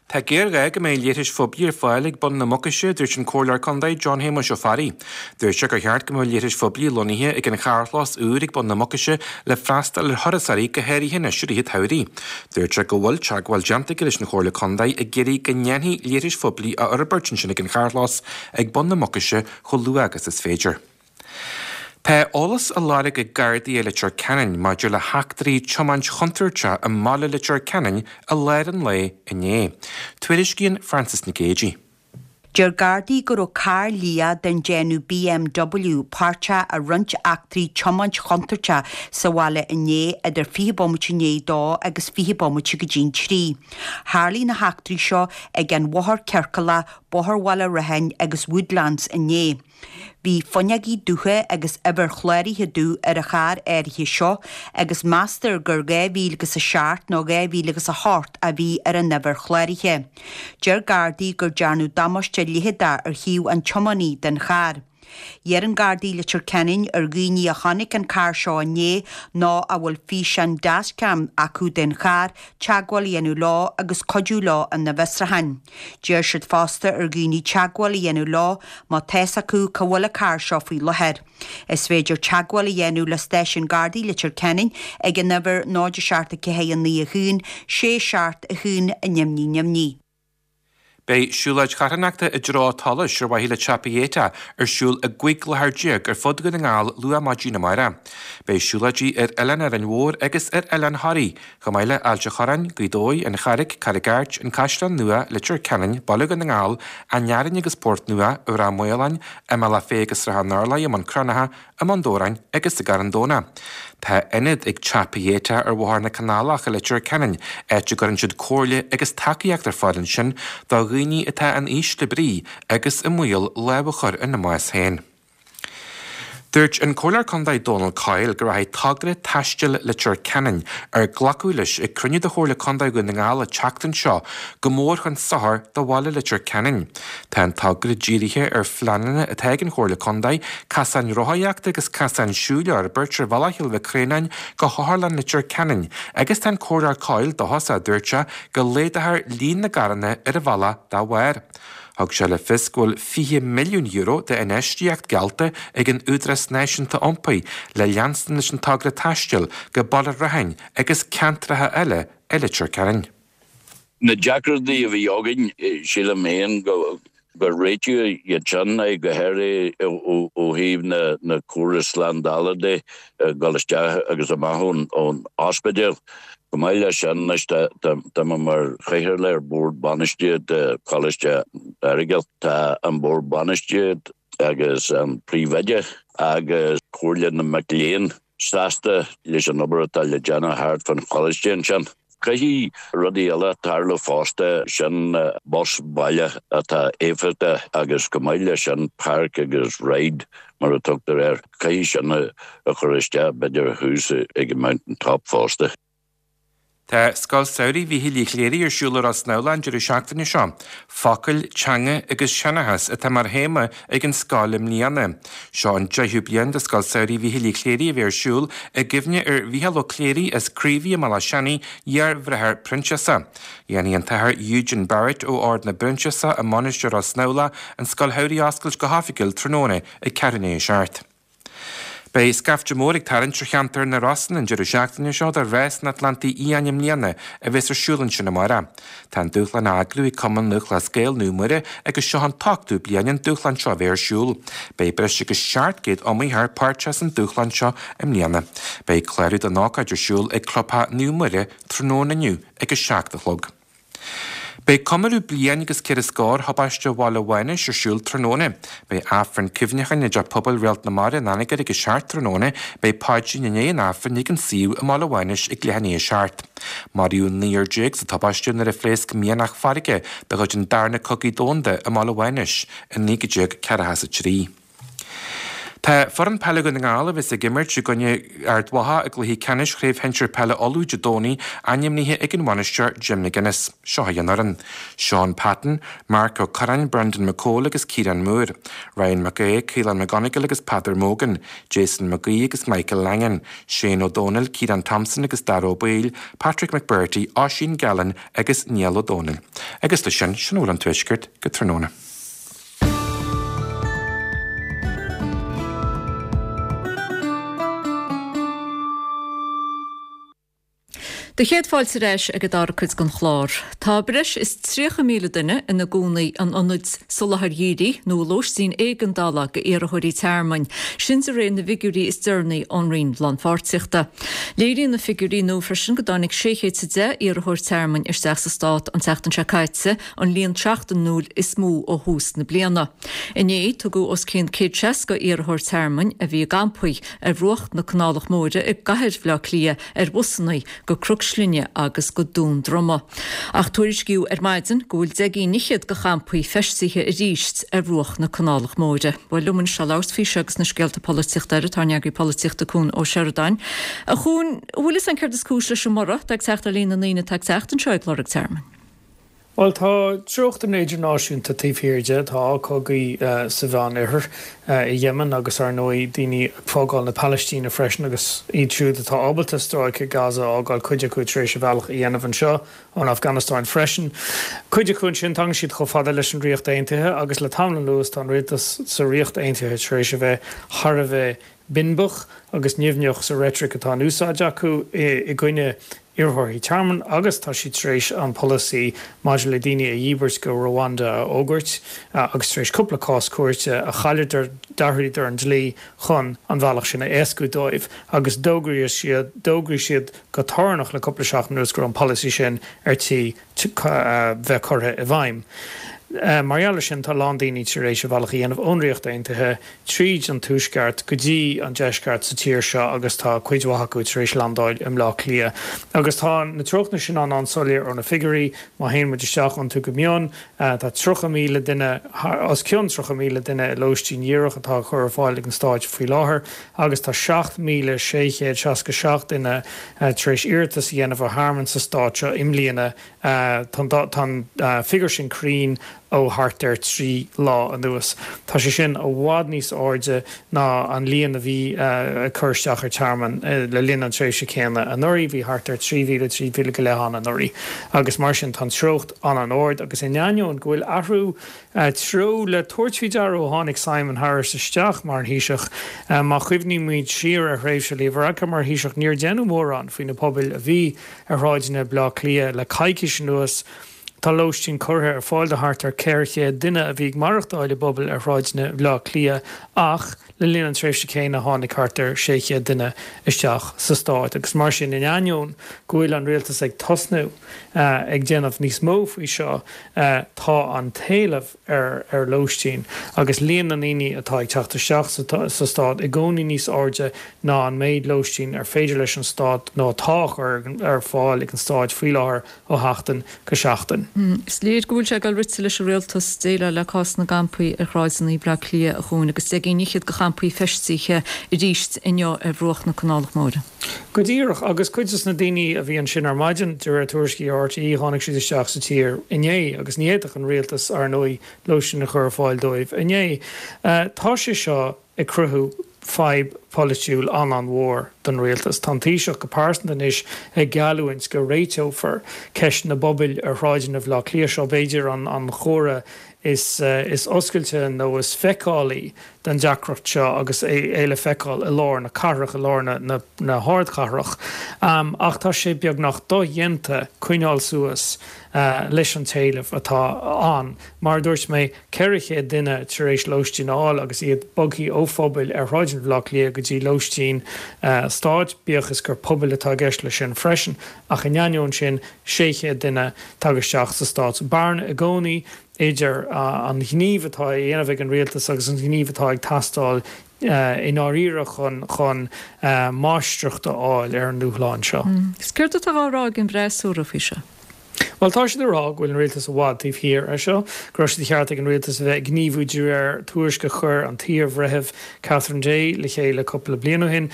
Speaker 10: Tá géarghá go mbeidh leithris phoiblí ar fáil ag bun na Mucaise, a dúirt an Comhairleoir Contae John Shéamuis Ó Fearraigh. Dúirt sé gur cheart go mbeadh leithris phoiblí lonnaithe ag an charrchlós úr ag bun na Mucaise le freastal ar thurasóirí go háirithe anois i rith an tsamhraidh. Dúirt sé go bhfuil teagmháil déanta aige leis an Chomhairle Contae ag iarraidh go ndéanfaí leithris phoiblí a fhorbairt ansin ag an charrchlós ag bun na Mucaise chomh luath agus is féidir. Tá eolas á lorg ag Gardaí i Leitir Ceanainn maidir le heachtraí tiomáint chontúirteach i mbaile Leitir Ceanainn i lár an lae inné. Tuairiscíonn Frances Nic Géadaigh.
Speaker 12: Deir Gardaí go raibh carr liath den déanamh BMW páirteach i roinnt eachtraí tiomáint chontúirteach sa bhaile inné idir 20 bomaite i ndiaidh 2 agus 20 bomaite go dtí'n 3. Tharlaigh na heachtraí seo ag an Bhóthar Ciorcalach, Bóthar Bhaile Rathain agus Woodlands inné. Bhí fuinneogaí dubha agus uimhir chláraithe dubh ar an charr áirithe seo agus meastar gur 2007 nó 2008 a bhí ar an uimhir chláraithe. Deir Gardaí gur dearnadh damáiste leitheadach ar thaobh an tiománaí den charr. Iarrann Gardaí Leitir Ceanainn ar dhaoine a chonaic an carr seo inné nó a bhfuil físeán dashcam acu den charr teagmháil a dhéanamh leo agus cuidiú leo ina bhfiosrúchán. D'iarr siad fosta ar dhaoine teagmháil a dhéanamh leo má tá's acu cá bhfuil an carr seo faoi láthair. Is féidir teagmháil a dhéanamh le Stáisiún Gardaí Leitir Ceanainn ag an uimhir 0 7 4 9 1 6 7 1 0 0 0.
Speaker 10: Beidh siúlóid charthanachta i dtreo Tholais ar mhaithe le Teapaí Éiteach ar siúl i gcúig láthair ar fud Dhún na nGall luath maidin amárach. Beidh siúlóidí ar Oileán Árainn Mhór agus ar Oileán Thoraí, chomh maith le Ailt a' Chorráin, Gaoth Dobhair, An Charraig, Carraig Airt, An Caisleán Nua, Leitir Ceanainn, Baile Dhún na nGall, An Fhearainn agus Port Nua, i Ráth Maoláin, i mBealach Féich agus Srath an Urláir, i mBun Cranncha, i mBun Dobhráin agus i gCarn Domhnach. Tá ionad ag Teapaí Éiteach ar Bhóthar na Canálach i Leitir Ceanainn, áit a gcuireann siad comhairle agus tacaíocht ar fáil ansin do dhaoine atá in ísle brí agus i mbaol lámh a chur ina mbás féin. Dúirt an Comhairleoir Contae Dónal Coyle go rachaidh togra taistil Leitir Ceanainn, ar glacadh leis ag cruinniú de Chomhairle Contae Dhún na nGall an tseachtain seo, go mór chun sochair do bhaile Leitir Ceanainn. Tá an togra dírithe ar phleananna atá ag an Chomhairle Contae casáin rothaíochta agus casáin siúil a fhorbairt ar bhealach Chill Mhic Réanáin go hOtharlann Leitir Ceanainn agus tá an Comhairleoir Coyle dóchasach, dúirt sé, go laghdófar líon na gcarranna ar an bhealach dá bharr. Thug sé le fios go bhfuil €20 milliún d'infheistíocht geallta ag an Údarás Náisiúnta Iompair le leanstan leis an togra taistil go Baile Rathain agus ceantracha eile i Leitir Ceanainn.
Speaker 13: Na deacrachtaí a bhí againn, sílim féin gur réitíodh iad sin, go háirithe ó thaobh na córas slándála de, dul isteach agus amach ón ospidéal. Chomh maith leis sin, anois tá mé mar chathaoirleach ar Bhord Bainistíochta Choláiste Aireagail. Tá an Bord Bainistíochta agus an Príomhoide agus Comhairle na Mac Léinn sásta leis an obair atá le déanamh thart fán choláiste ansin. Caithfidh rudaí eile tarlú fosta, sin bus baile atá éifeachtach agus chomh maith leis sin park agus ride mar a tugtar air, caithfidh sin a chur isteach b'fhéidir thuas ag an Mountain Top fosta.
Speaker 10: Tá Scoil Samhraidh Mhíchíl Uí Chléirigh ar siúl i Ros na Mhíl an deireadh seachtaine seo. Focail, Teanga agus Seanchas atá mar théama ag an scoil i mbliana. Seo an deichiú bliain do Scoil Samhraidh Mhíchíl Uí Chléirigh a bheith ar siúl i gcuimhne ar Mhícheál Ó Cléirigh as Craobhaigh i mBealach Seanaidh, iar-bhráthair Proinsiasa. Dhéanfaidh an tAthair Eugene Barrett ó Ord na bProinsiasach i Mainistir Ros na Mhíl an Scoil Shamhraidh a oscailt go hoifigiúil tráthnóna ag ceathrú i ndiaidh a 7. Beidh scaifte mór ag tarraingt ar cheantar na Rosann an deireadh seachtaine seo do Rás an Atlantaigh Fhiáin i mbliana a bheas ar siúl ansin amárach. Tá an dúshlán á eagrú ag Cumann Lúthchleas Gael Naomh Muire agus seo an t-ochtú bliain an dúshlán seo a bheith ar siúl. Beidh breis agus 700 iomaitheoir páirteach san dúshlán seo i mbliana. Beidh clárú don ócáid ar siúl ag Clubtheach Naomh Muire tráthnóna inniu ag 7 a chlog. Beidh comóradh bliain agus ceithre scór thubaiste Bhaile Mhánais ar siúl tráthnóna. Beidh Aifreann cuimhneacháin i dTeach Pobail Réalt na Mara in Anagaire ag a 7 tráthnóna. Beidh paidrín i ndiaidh an Aifrinn ag an suíomh i mBaile Mhánais ag leath i ndiaidh a 7. Maraíodh 19 sa tubaiste nuair a phléasc mianach farraige de chuid an Darna Cogaidh Domhanda i mBaile Mhánais i 1943. Tá foireann peile Dhún na nGall, a bheas ag imirt i gcoinne Ard Mhacha i gcluiche ceannais Chraobh Shinsir Peile Uladh Dé Domhnaigh, ainmnithe ag an bhainisteoir Jim McGuinness. Seo í an fhoireann, Shaun Patton, Marc Ó Curráin, Brendan McCole agus Ciarán Moore, Ryan Mac Aodha, Caolán McGonigle agus Peadar Mogan, Jason McGee agus Michael Langan, Shane Ó Dónaill, Ciarán Thompson agus Dara Ó Baoill, Patrick McBrearty, Oisín Gallen agus Niall Ó Dónaill. Agus leis sin, sin a bhfuil ón Tuaisceart go tráthnóna.
Speaker 1: Do chéad fáilte ar ais ag an dara cuid den chlár. Tá breis is 30,000 duine ina gcónaí in ionaid soláthair dhírigh nó i lóistín éigeandála d'iarrthóirí tearmainn, sin de réir na bhfigiúirí is deireanaí ón Roinn Lánpháirtíochta. Léiríonn na figiúirí nua freisin go dtáinig 610 iarrthóir tearmainn isteach sa stát an tseachtain seo caite, an líon seachtainiúil is mó ó thús na bliana. Inné, tugadh os cionn 160 iarrthóir tearmainn a bhí i gcampaí ar bhruach na Canálach Móire i gcathair Bhaile Átha Cliath ar bhusanna go Cnoc Slinne agus go Dún Droma. Ach tuairiscíodh ar maidin go bhfuil 10 gcinn fhichead de champaí feistithe arís ar bhruach na Canálach Móire. Bhuel, liom anois le labhairt faoi seo agus na scéalta polaitíochta eile, tá ár n-eagraí polaitíochta Cuan Ó Seireadáin. A Chuain, an bhfuil fhios a'inn céard is cúis leis an mborradh atá ag teacht ar líon na ndaoine atá ag teacht anseo ag lorg tearmainn?
Speaker 14: Bhuel, tá treochtanna idirnáisiúnta taobh thiar de. Tá cogaí sa Mheánoirthear, i Yemen agus, ar ndóigh, daoine ag fágáil na Palaistíne freisin agus iad siúd atá ábalta stráice Gaza a fhágáil, cuid acu tar éis a bhealach a dhéanamh anseo ón Afganastáin freisin. Cuid acu ansin, tagann siad chomh fada leis an Ríocht Aontaithe agus le tamall anuas tá an rialtas sa Ríocht Aontaithe tar éis a bheith thar a bheith binbeach agus nimhneach sa reitric atá in úsáid acu i gcoinne iarrthóirí tearmainn agus tá siad tar éis an polasaí maidir le daoine a dhíbirt go Rwanda a fhógairt agus tar éis cúpla cás cúirte a chailleadar d'athraíodar an dlí chun an bhealach sin a éascú dóibh agus d'fhógraigh siad d'fhógraigh siad go torannach le cúpla seachtain anuas go raibh an polasaí sin ar tí bheith curtha i bhfeidhm. Mar gheall ar sin, tá a lán daoine tar éis a bhealach a dhéanamh ón Ríocht Aontaithe tríd an tuaisceart go dtí an deisceart sa tír seo agus tá cuid mhaith acu tar éis landáil i mBleá Cliath. Agus tá na treochtanna sin an-an-soiléir ó na figiúirí, má théann muid isteach iontu go mion. Tá 30,000 duine, os cionn 30,000 duine i lóistín dhíreach atá á chur ar fáil ag an Stáit faoi láthair agus tá 7,667 duine tar éis iarratas a dhéanamh ar thearmann sa stát seo i mbliana. Tá an figiúr sin cruinn ó thart ar 3 lá anuas. Tá sé sin i bhfad níos airde ná an líon a bhí ag cur isteach ar tearmann le linn an tréimhse céanna anuraidh. Bhí thart ar 3,000, 3,000 go leith ann anuraidh agus mar sin tá an treocht an-an-ard agus in ainneoin go bhfuil athrú treo le tabhairt faoi deara ó tháinig Simon Harris isteach mar an Thaoiseach. Má chuimhnímid siar ar thréimhse Leo Varadkar mar Thaoiseach, níor deineadh mórán faoi na pobail a bhí ar shráideanna Bhaile Átha Cliath le coicís anuas. Tá lóistín curtha ar fáil do thart ar 400 duine a bhí ag maireachtáil i bpobail ar shráideanna Bhaile Átha Cliath ach le linn an tréimhse céanna tháinig thart ar 600 duine isteach sa stát agus mar sin in ainneoin go bhfuil an rialtas ag tosnú ag déanamh níos mó faoi seo tá an t-éileamh ar lóistín agus líon na ndaoine atá ag teacht isteach sa stát i gcónaí níos airde ná an méid lóistín ar féidir leis an stát nó atá á chur ar fáil ag an stát faoi láthair ó sheachtain go seachtain.
Speaker 1: Is léir go bhfuil sé ag dul rite leis an rialtas déileáil le cás na gcampaí ar shráideanna Bhaile Átha Cliath a Chuain agus 10 gcinn fhichead de champaí feistithe arís inniu ar bhruach na Canálach Móire.
Speaker 14: Go díreach, agus cuid des na daoine a bhí ansin ar maidin, de réir tuairiscí RTÉ, tháinig siad isteach sa tír inné agus ní fhéadfadh an rialtas, ar ndóigh, lóistín a chur ar fáil dóibh inné. Tá sé seo ag cruthú fadhb pholaitiúil an-an-mhór don rialtas. Tá an Taoiseach go pearsanta anois ag geallúint go réiteofar ceist na bpobal ar shráideanna Bhaile Átha Cliath. Seo b'fhéidir an chomhartha is oscailte nó is feiceálaí den deacracht seo agus é le feiceáil i lár na cathrach, i lár na hardchathrach. Ach tá sé beagnach dodhéanta coinneáil suas leis an t-éileamh atá ann. Mar a dúirt mé, 400 duine tar éis lóistín a fháil agus iad bogthaí ó phobail ar shráideanna Bhaile Átha Cliath go dtí lóistín stáit, bíodh is gur pobail atá i gceist leis sin freisin. Ach in ainneoin sin, 600 duine tagtha isteach sa stát. Bearna i gcónaí idir an gníomh atá á dhéanamh ag an rialtas agus an gníomh atá ag teastáil i ndáiríre chun chun máistreacht a fháil ar an ndúshlán seo.
Speaker 1: Is céard atá á rá ag an bhfreasúra faoi seo?
Speaker 14: Bhuel, tá siad ag rá go bhfuil an rialtas i bhfad taobh thiar ar seo, go raibh sé de cheart ag an rialtas a bheith ag gníomhú de réir tuairisc a chuir an t-iar-bhreitheamh Catherine Day le chéile cúpla bliain ó shin,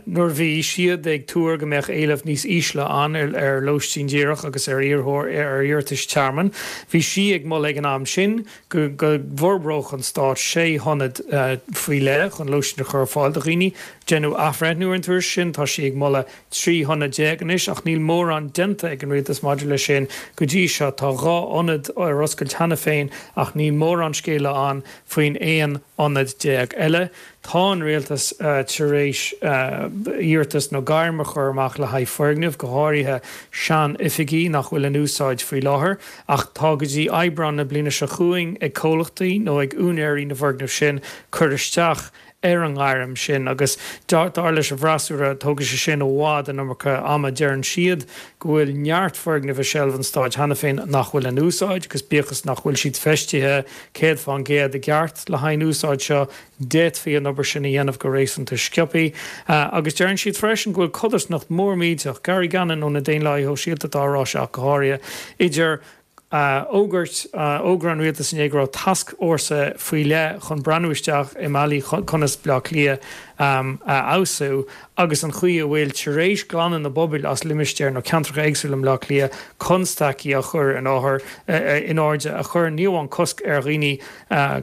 Speaker 14: nuair a bhí siad ag tuar go mbeadh éileamh níos ísle ann ar lóistín díreach agus ar ar iarratais tearmainn. Bhí sí ag moladh ag an am sin go bhforbródh an stát sé hionad faoi leith chun lóistín a chur ar fáil do dhaoine. Deineadh athbhreithniú ar an tuairisc sin, tá sí ag moladh 13 hionad anois ach níl mórán déanta ag an rialtas maidir leis sin go dtí seo. Tá 2 ionad ar oscailt cheana féin ach níl mórán scéala ann faoin 11 ionad eile. Tá an rialtas tar éis iarratas nó gairm a chur amach le haghaidh foirgneamh, go háirithe sean-oifigí nach bhfuil in úsáid faoi láthair, ach tá go dtí Aibreán na bliana seo chugainn ag comhlachtaí nó ag úinéirí na bhfoirgneamh sin cur isteach ar an ngairm sin agus dar leis an bhfreasúra tógfaidh sé sin i bhfad an iomarca ama. Deireann siad go bhfuil neart foirgneamh i seilbh an stáit cheana féin nach bhfuil in úsáid agus bíodh is nach bhfuil siad feistithe 100% i gceart le haghaidh an úsáid seo, d'fhéadfaí an obair sin a dhéanamh go réasúnta sciobtha. Agus deireann siad freisin go bhfuil codarsnacht mhór millteach, Gary Gannon ó na Daonlathaithe Shóisialta atá á rá seo ach go háirithe, idir fhógairt, fhógra an rialtais inné go raibh tascfhórsa faoi leith chun breathnú isteach i mbealaí conas Baile Átha Cliath a fheabhsú agus an chaoi a bhfuil tar éis glanadh na bpubaill as limistéir nó ceantracha éagsúla i mBaile Átha Cliath constaicí a chur in áthar in airde a chuireann ní amháin cosc ar dhaoine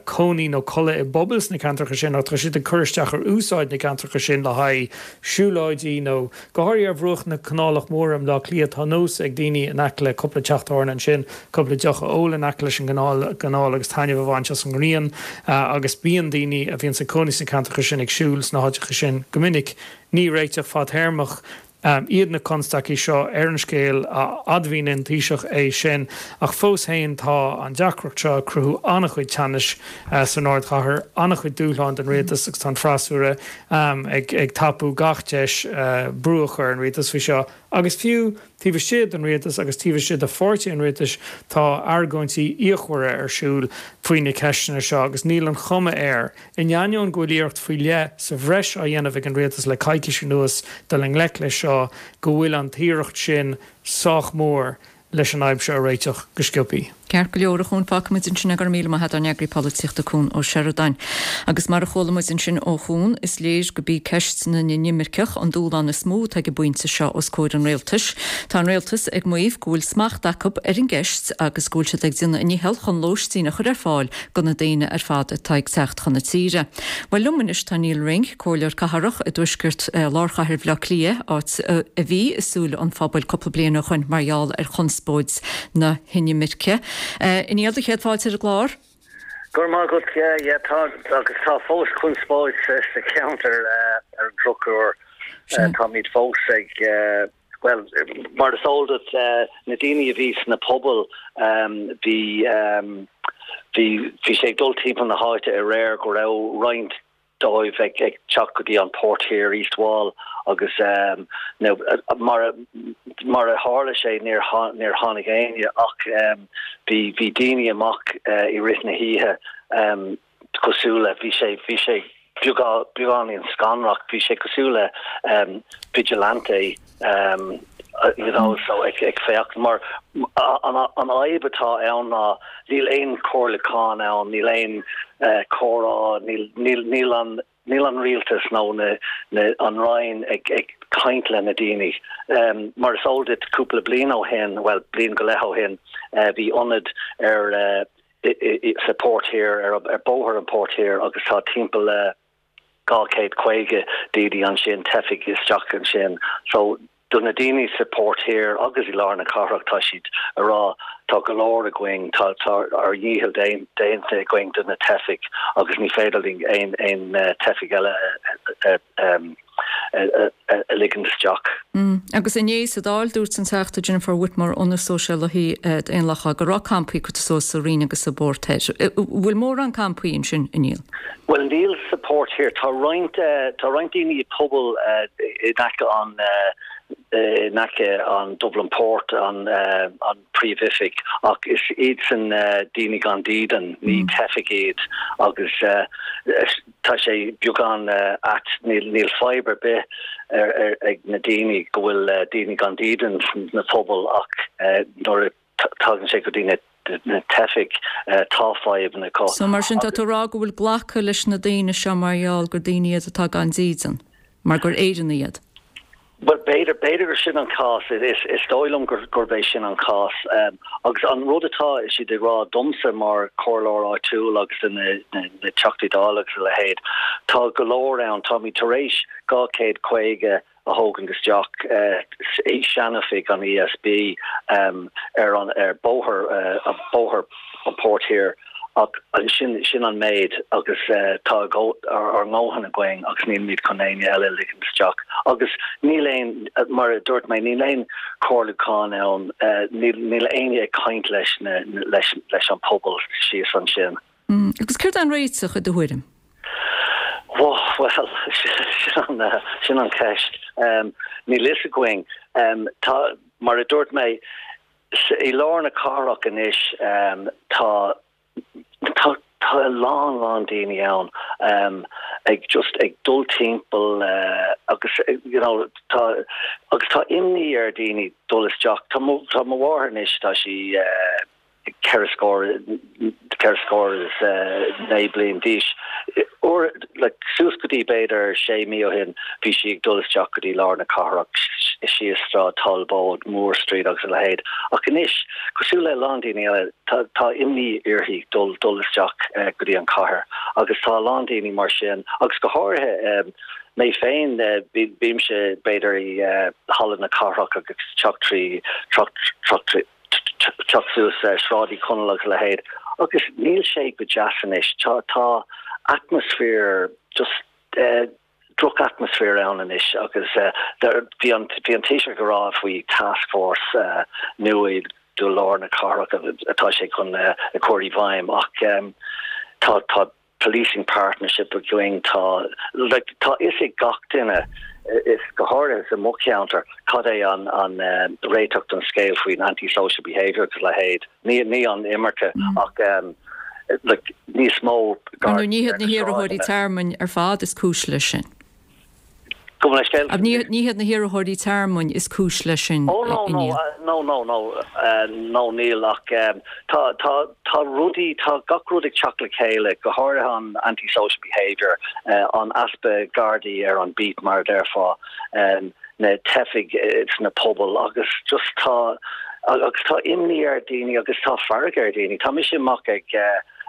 Speaker 14: cónaí nó codladh i bpubaill sna ceantracha sin ach tá siad ag cur isteach ar úsáid na gceantracha sin le haghaidh siúlóidí nó go háirithe ar bhruach na Canálach Móire i mBleá Cliath tá nós ag daoine in aice le cúpla teach tábhairne ansin cúpla deoch a ól in aice leis an gcanáil agus taitneamh a bhaint as an ngrian agus bíonn daoine a bhíonns ag cónaí sna ceantracha sin ag siúl sna háiteacha sin go minic. Ní réiteach fadtéarmach iad na constaicí seo ar an scéal, a admhaíonn an Taoiseach é sin, ach fós féin tá an deacracht seo ag cruthú an-chuid teannais san ardchathair, an-chuid dúshláin don rialtas agus tá an freasúra ag tapú gach deis brú a chur ar an rialtas faoi seo. Agus fiú taobh istigh den rialtas agus taobh istigh de pháirtí an rialtais tá argóintí fhíochmhara ar siúl faoi na ceisteanna seo agus níl an chuma air In ainneoin go bhfuil iarracht faoi leith sa bhreis á dhéanamh ag an rialtas le coicís anuas dul i ngleic leis seo, go bhfuil an t-iarracht sin sách mór leis an fhadhb seo a réiteach go sciobthaí.
Speaker 1: Ceart go leor, a Chuan, fágfaimid ansin é. Go raibh míle maith agat, ár n-eagraí polaitíochta Cuan Ó Seireadáin. Agus mar a chuala muid ansin ó Chuan, is léir go b'í ceist na n-inimirceach an dúshlán is mó atá ag an bpointe seo os comhair an rialtais. Tá an rialtas ag maíomh go bhfuil smacht acu ar an gceist agus go bhfuil siad ag déanamh a ndícheall chun lóistín a chur ar fáil do na daoine ar fad atá ag teacht chun na tíre. Bhuel, liom anois tá Nial Ring, Comhairleoir Cathrach i dtuaisceart lár chathair Bhaile Átha Cliath, áit a bhí i súile an phobail cúpla bliain ó shoin mar gheall ar chonspóid na hinimirce. A Niall, do chéad fáilte ar an gclár.
Speaker 15: Go raibh maith agat. Yeah, yeah, tá, agus tá fós conspóid sa cheantar ar an drochuair. Táimid fós ag Bhuel, mar is eol duit, na daoine a bhí sna pubaill, bhí, bhí, bhí sé ag dul timpeall na háite aréir go raibh roinnt dóibh ag, ag teacht go dtí an Port Thiar, East Wall, agus now, mar a, mar a tharla sé, níor, níor tháinig éinne ach bhí, bhí daoine amach i rith na hoíche. cosúil le, bhí sé, bhí sé beagáinín scanrach, bhí sé cosúil le vigilante you know, so ag ag féachaint mar an an fhadhb atá ann ná níl aon chomhairliúchán ann, níl aon comhrá, níl níl níl an níl an rialtas nó na na an Roinn ag ag caint le na daoine. Mar is eol duit cúpla bliain ó shin, bhuel bliain go leith ó shin, bhí ionad ar sa Port Thiar, ar Bóthar an Port Thiar agus tá timpeall le 250 daoine ansin, teifigh isteach ansin. So do na daoine sa Port Thiar agus i lár na cathrach tá siad a rá tá go leor againn, tá tá ár ndícheall déanta againn do na teifigh agus ní féidir linn aon aon teifigh eile a a ligean isteach.
Speaker 1: Agus inné sa Dáil, dúirt an Teachta Jennifer Whitmore ó na Sóisialaithe Daonlathacha go raibh campaí curtha suas sa Rinn agus sa bPort Thoir. Bhfuil mórán campaí ansin, a Niall?
Speaker 15: Bhuel, níl sa Port Thiar. Tá roinnt, tá roinnt daoine i bpubaill in aice an, in aice an Dublin Port, an, an príomhoifig, ach is iadsan daoine gan dídean, ní teifigh iad agus Tá sé beagán ait, níl fadhb ar bith ag na daoine go bhfuil daoine gan dídean sna pubaill ach nuair a. Tagann sé go dtí na na teifigh, tá fadhbanna acu.
Speaker 1: So mar sin tá tú a rá go bhfuil glactha leis na daoine seo mar gheall gur daoine iad atá gan dídean, mar gur Éireannaigh iad?
Speaker 15: Bhuel, b'fhéidir, b'fhéidir gur sin an cás. Is dóigh liom gurb é sin an cás. Agus an rud atá siad ag rá domsa mar chomhairleoir áitiúil agus do na Teachtaí Dála agus a leithéid, tá go leor ann, táimid tar éis 250 a thógaint isteach i seanoifig an ESB ar an ar bóthar bóthar an Port Thiar ach sin sin an méid agus tá ár ndóthain againn agus nílimid chun éinne eile a ligean isteach agus níl aon mar a dúirt mé níl aon chomhairliúchán ann níl níl éinne ag caint leis na leis leis an pobal síos ansin.
Speaker 1: Agus céard é an réiteach i do thuairim?
Speaker 15: Bhuel, sin an cheist. Níl fhios againn. Tá, mar a dúirt mé, i lár na cathrach anois tá tá tá a lán lán daoine ann ag just ag dul timpeall agus you know tá agus tá imní ar daoine dul isteach. Tá mo tá mo mháthair anois tá sí 4 scór, 4 scór is 9 bliain d'aois. Uair, like, suas go dtí b'fhéidir sé mí ó shin, bhí sí ag dul isteach go dtí lár na cathrach, síos Sráid Talbóid, Moore Street agus a leithéid. Ach anois, cosúil le a lán daoine eile, tá, tá imní uirthi dul, dul isteach go dtí an chathair. Agus tá a lán daoine mar sin, agus go háirithe mé féin, bímse b'fhéidir i Halla na Cathrach agus teacht trí, teacht, teacht trí, teacht suas Sráid Uí Chonaill agus a leithéid agus níl sé go deas anois. Tá tá atmaisféar just droch-atmaisféar ann anois agus bhí an bhí an Taoiseach ag rá faoi taskforce nua do lár na cathrach atá sé chun a chur i bhfeidhm ach tá tá policing partnership againn, tá like tá fhios ag gach duine, is go háirithe sa mo cheantar, cad é an an réiteach don scéal faoin anti-social behaviour agus a leithéid, ní ní an imirce ach like níos mó
Speaker 1: Ar ndóigh ní hiad na hiarrthóirí tearmainn ar fad is cúis leis sin.
Speaker 15: Gabh mo leithscéal.
Speaker 1: Ní hiad na hiarrthóirí tearmainn is cúis leis sin,
Speaker 15: Oh no, no, no, no, no, no níl ach tá, tá, tá rudaí, tá gach rud ag teacht le chéile, go háirithe an anti-social behaviour, an easpa gardaí ar an beat mar a déarfá, na teifigh sna pobail agus just tá, agus tá imní ar daoine agus tá fearg ar daoine. Tá mise amach ag,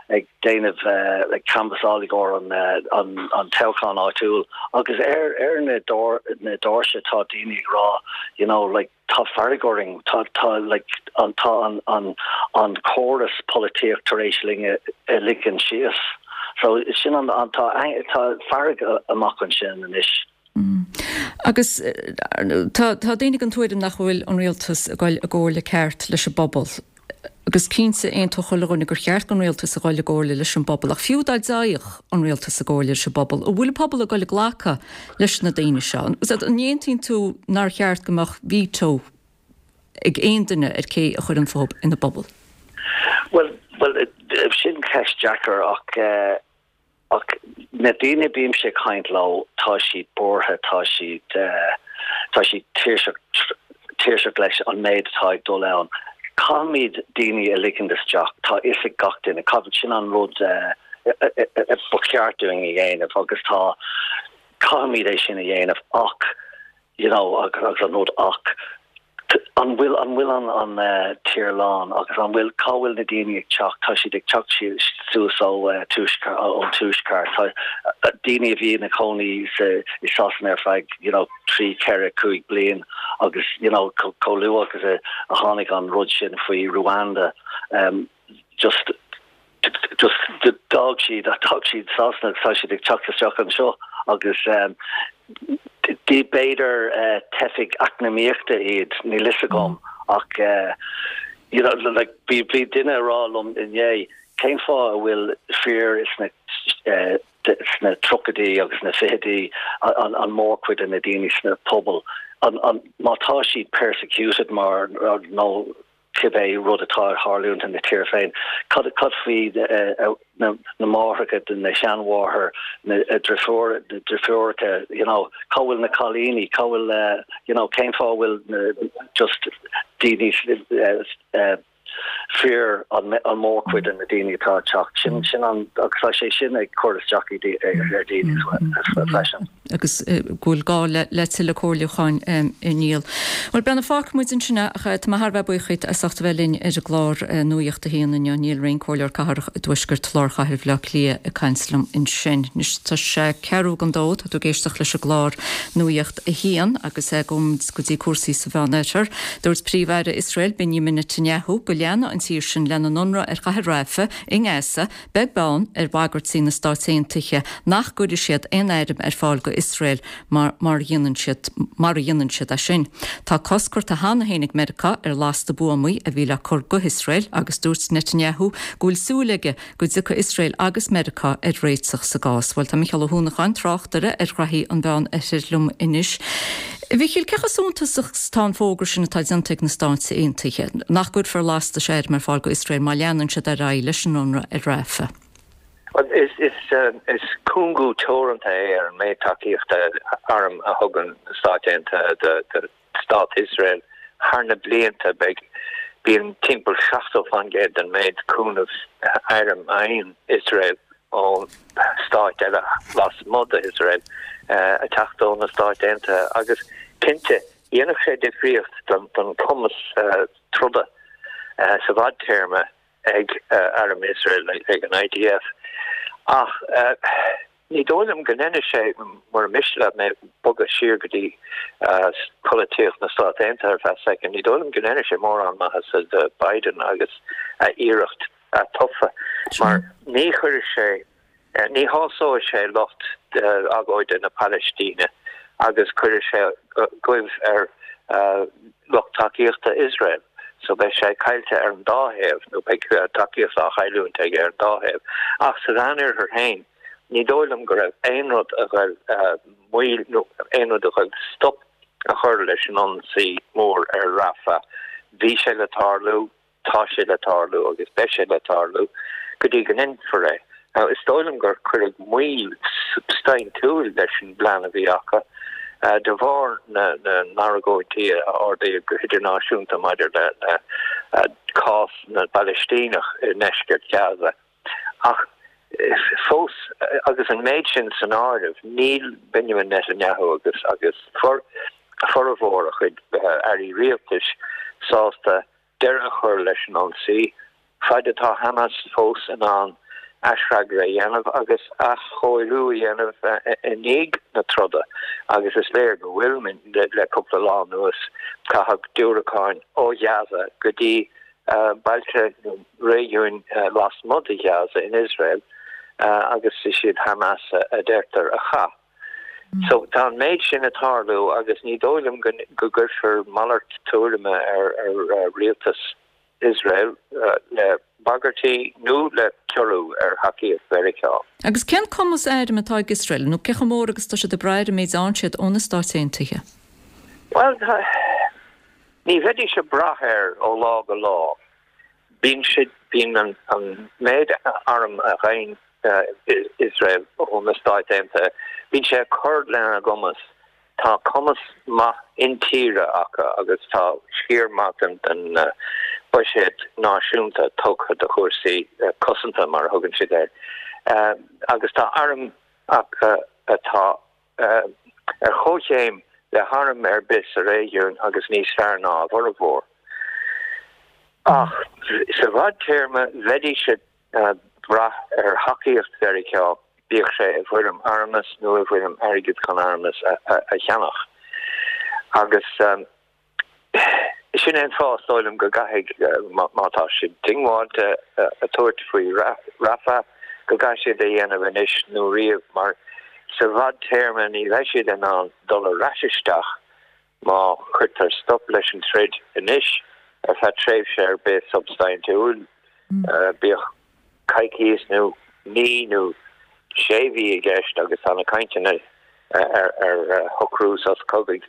Speaker 15: ag déanamh ag canbhasáil i gcomhair an toghchán áitiúil agus ar ar na na doirse tá daoine ag rá you know like tá fearg orainn tá tá like an tá an an an córas polaitíocht tar éis linn a ligean síos so sin an an tá tá fearg amach ansin anois.
Speaker 1: Agus tá daoine den tuairim nach bhfuil an rialtas ag dul i gcomhairle ceart leis an bpobal. Agus cinnte, aontódh chuile dhuine gur cheart don rialtas a dhul i gcomhairle leis an bpobal. Ach fiú dá dtéadh an rialtas i gcomhairle leis an bpobal, an bhfuil an pobal ag dul ag glacadh leis na daoine seo? An aontaíonn tú nár cheart go mbeadh veto ag aon duine ar cé a chuireann fúthu ina bpobal?
Speaker 15: Bhuel, bhuel, sin ceist deacair ach Ach na daoine a bímse ag caint leo, tá siad buartha, tá siad, tá siad tuirseach, tuirseach leis an méid atá ag dul ann. Caithfimid daoine a ligean isteach, tá fhios ag gach duine, caithfidh, sin an rud ba cheart dúinn a dhéanamh agus tá, caithfimid é sin a dhéanamh ach, you know agus an rud ach an bhfuil an bhfuil an an tír lán agus an bhfuil cá bhfuil na daoine ag teacht tá siad ag teacht suas ó tuaisceart ón tuaisceart tá daoine a bhí ina cónaí sa i Sasana ar feadh you know 3 4 5 bliain agus you know chomh luath agus a a tháinig an rud sin faoi Rwanda um, just just d'fhág siad d'fhág siad Sasana agus tá siad ag teacht isteach anseo agus b'fhéidir teifigh eacnamaíochta iad, níl fhios agam ach you know like bhí bhí duine ag rá liom inné cén fáth a bhfuil fir sna sna tríochaidí agus na fichidí an an mórchuid de na daoine sna pobail an an má tá siad persecuted mar nó cibé rud atá ag tarlúint ina tír féin. Cad cad faoi na na máithreacha, na seanmháthair, na driofúr na driofúracha, you know, cá bhfuil na cailíní, cá bhfuil you know, cén fáth a bhfuil na just daoine. Fir an mhórchuid de na daoine atá ag teacht. Sin sin an agus tá sé sin ag cur isteach ar daoine freisin.
Speaker 1: Agus go bhfuil gá le tuilleadh comhairliúcháin a Niall. Bhuel Breandán fágfaidh muid ansin é ach tá mé thar a bheith buíoch díot as ucht a bheith linn ar an gclár Nuacht a hAon inniu. Niall Ring, Comhairleoir Cathrach i dTuaisceart Lár Chathair Bhaile Átha Cliath ag caint liom ansin. Anois tá sé ceathrú don dó, tá tú ag éisteacht leis an gclár Nuacht a hAon agus gabhfaidh muid go dtí cúrsaí sa Mheánoirthear. Dúirt Príomh-Aire Iosrael, Benjamin Netanyahu, go leanfaidh an tír sin lena n-ionradh ar chathair Rafah i nGaza, beag beann ar bhagairtí na Stáit Aontaithe nach gcuirfidh siad aon airm ar fáil go Iosrael mar mar dhéanann siad mar a dhéanann siad é sin. Tá cosc curtha cheana féin ag Meiriceá ar lasta buamaí a bhí le cur go hIosrael agus dúirt Netanyahu go bhfuil súil aige go dtiocfaidh Iosrael agus Meiriceá ar réiteach sa gcás. Bhuel, tá Micheál Ó hUanacháin, tráchtaire ar ghraithí an Mheán Oirthir liom anois. A Mhichíl, cé chomh suntasach is atá an fógra sin atá déanta ag na Stáit Aontaithe, nach gcuirfear lastais airm ar fáil go Iosrael má leanann siad ar aghaidh leis an ionradh ar Rafah?
Speaker 16: Bhuel, is cúngú teoranta é ar an méid tacaíochta airm a thugann na Stáit Aontaithe do Stát Iosrael thar na blianta. Beidh, bíonn timpeall 70% den méid cúnamh airm a fhaigheann Iosrael ó stáit eile lasmuigh d'Iosrael ag teacht ó na Stáit Aontaithe agus cinnte dhéanfadh sé difríocht don chumas troda sa bhfadtéarma ag arm Iosrael, ag an IDF. Ach ní dóigh liom go ndéanfaidh sé, mura miste leat mé bogadh siar go dtí polaitíocht na Stát Aontaithe ar feadh soicind, ní dóigh liom go ndéanfaidh sé mórán maitheasa do Biden agus a iarracht atofa, mar ní chuirfidh sé Ní shásóidh sé lucht agóide na Palaistíne agus cuirfidh sé goimh ar lucht tacaíochta Iosrael. So beidh sé caillte ar an dá thaobh, nó beidh tacaíocht á chailliúint aige ar an dá thaobh. Ach sa Mheánoirthear féin, ní dóigh liom go raibh aon rud a ghoil moill nó aon rud a ghoil stop a chur leis an ionsaí mór ar Rafah. Bhí sé le tarlú. Tá sé le tarlú agus beidh sé le tarlú go dtí go ndéanfar é. Now, is dóigh liom gur cuireadh moill substaintiúil leis an bplean a bhí acu de bharr na n-argóintí a ardaíodh go hidirnáisiúnta maidir le cás na bPalaistíneach i ndeisceart Ghaza. Ach fós, agus an méid sin san áireamh, níl Benjamin Netanyahu agus agus formhór a chuid airí rialtais sásta deireadh a chur leis an ionsaí, fad atá Hamas fós in ann aisfhreagra a dhéanamh agus athchóiriú a dhéanamh i ndiaidh na troda, agus is léir go bhfuil, le cúpla lá anuas, caitheadh diúracáin ó Ghaza go dtí bailte nó réigiúin lasmuigh de Ghaza in Iosrael, agus is iad Hamas a deirtear a chaith. So, tá an méid sin ag tarlú agus ní dóigh liom go gcuirfear malairt tuairime ar rialtas Iosrael le bagairtí nó le ciorrú ar thacaíocht Mheiriceá.
Speaker 1: Agus cén cumas airm atá ag Iosrael, nó cé chomh mór agus atá siad ag brath ar an méid a fhaigheann siad ó na Stáit Aontaithe?
Speaker 16: Bhuel, ní bheidís ag brath air ó lá go lá. Bíonn siad, bíonn an méid arm a fhaigheann Iosrael ó na Stáit Aontaithe, bíonn sé ag cur lena gcumas. Tá cumas maith intíre acu agus tá sciar maith den buiséad náisiúnta tugtha do chúrsaí cosanta, mar a thugann siad air, agus tá arm acu atá ar chomhchéim le harm ar bith sa réigiún agus níos fearr ná a bhformhór. Ach sa bhfadtéarma, bheidís ag brath ar thacaíocht Mheiriceá, bíodh sé i bhfoirm armas nó i bhfoirm airgid chun armas a cheannach. Agus sin é an fáth, is dóigh liom, go gcaithfidh, má tá siad diongbháilte a tabhairt faoi Rafah, go gcaithfidh siad é a dhéanamh anois nó riamh, mar sa bhfadtéarma ní bheidh siad in ann dul ar ais isteach má chuirtear stop leis an troid anois ar feadh tréimhse ar bith substaintiúil, bíodh coicíos nó mí nó sé mhí i gceist agus tá na cainteanna ar shocrú sos cogaidh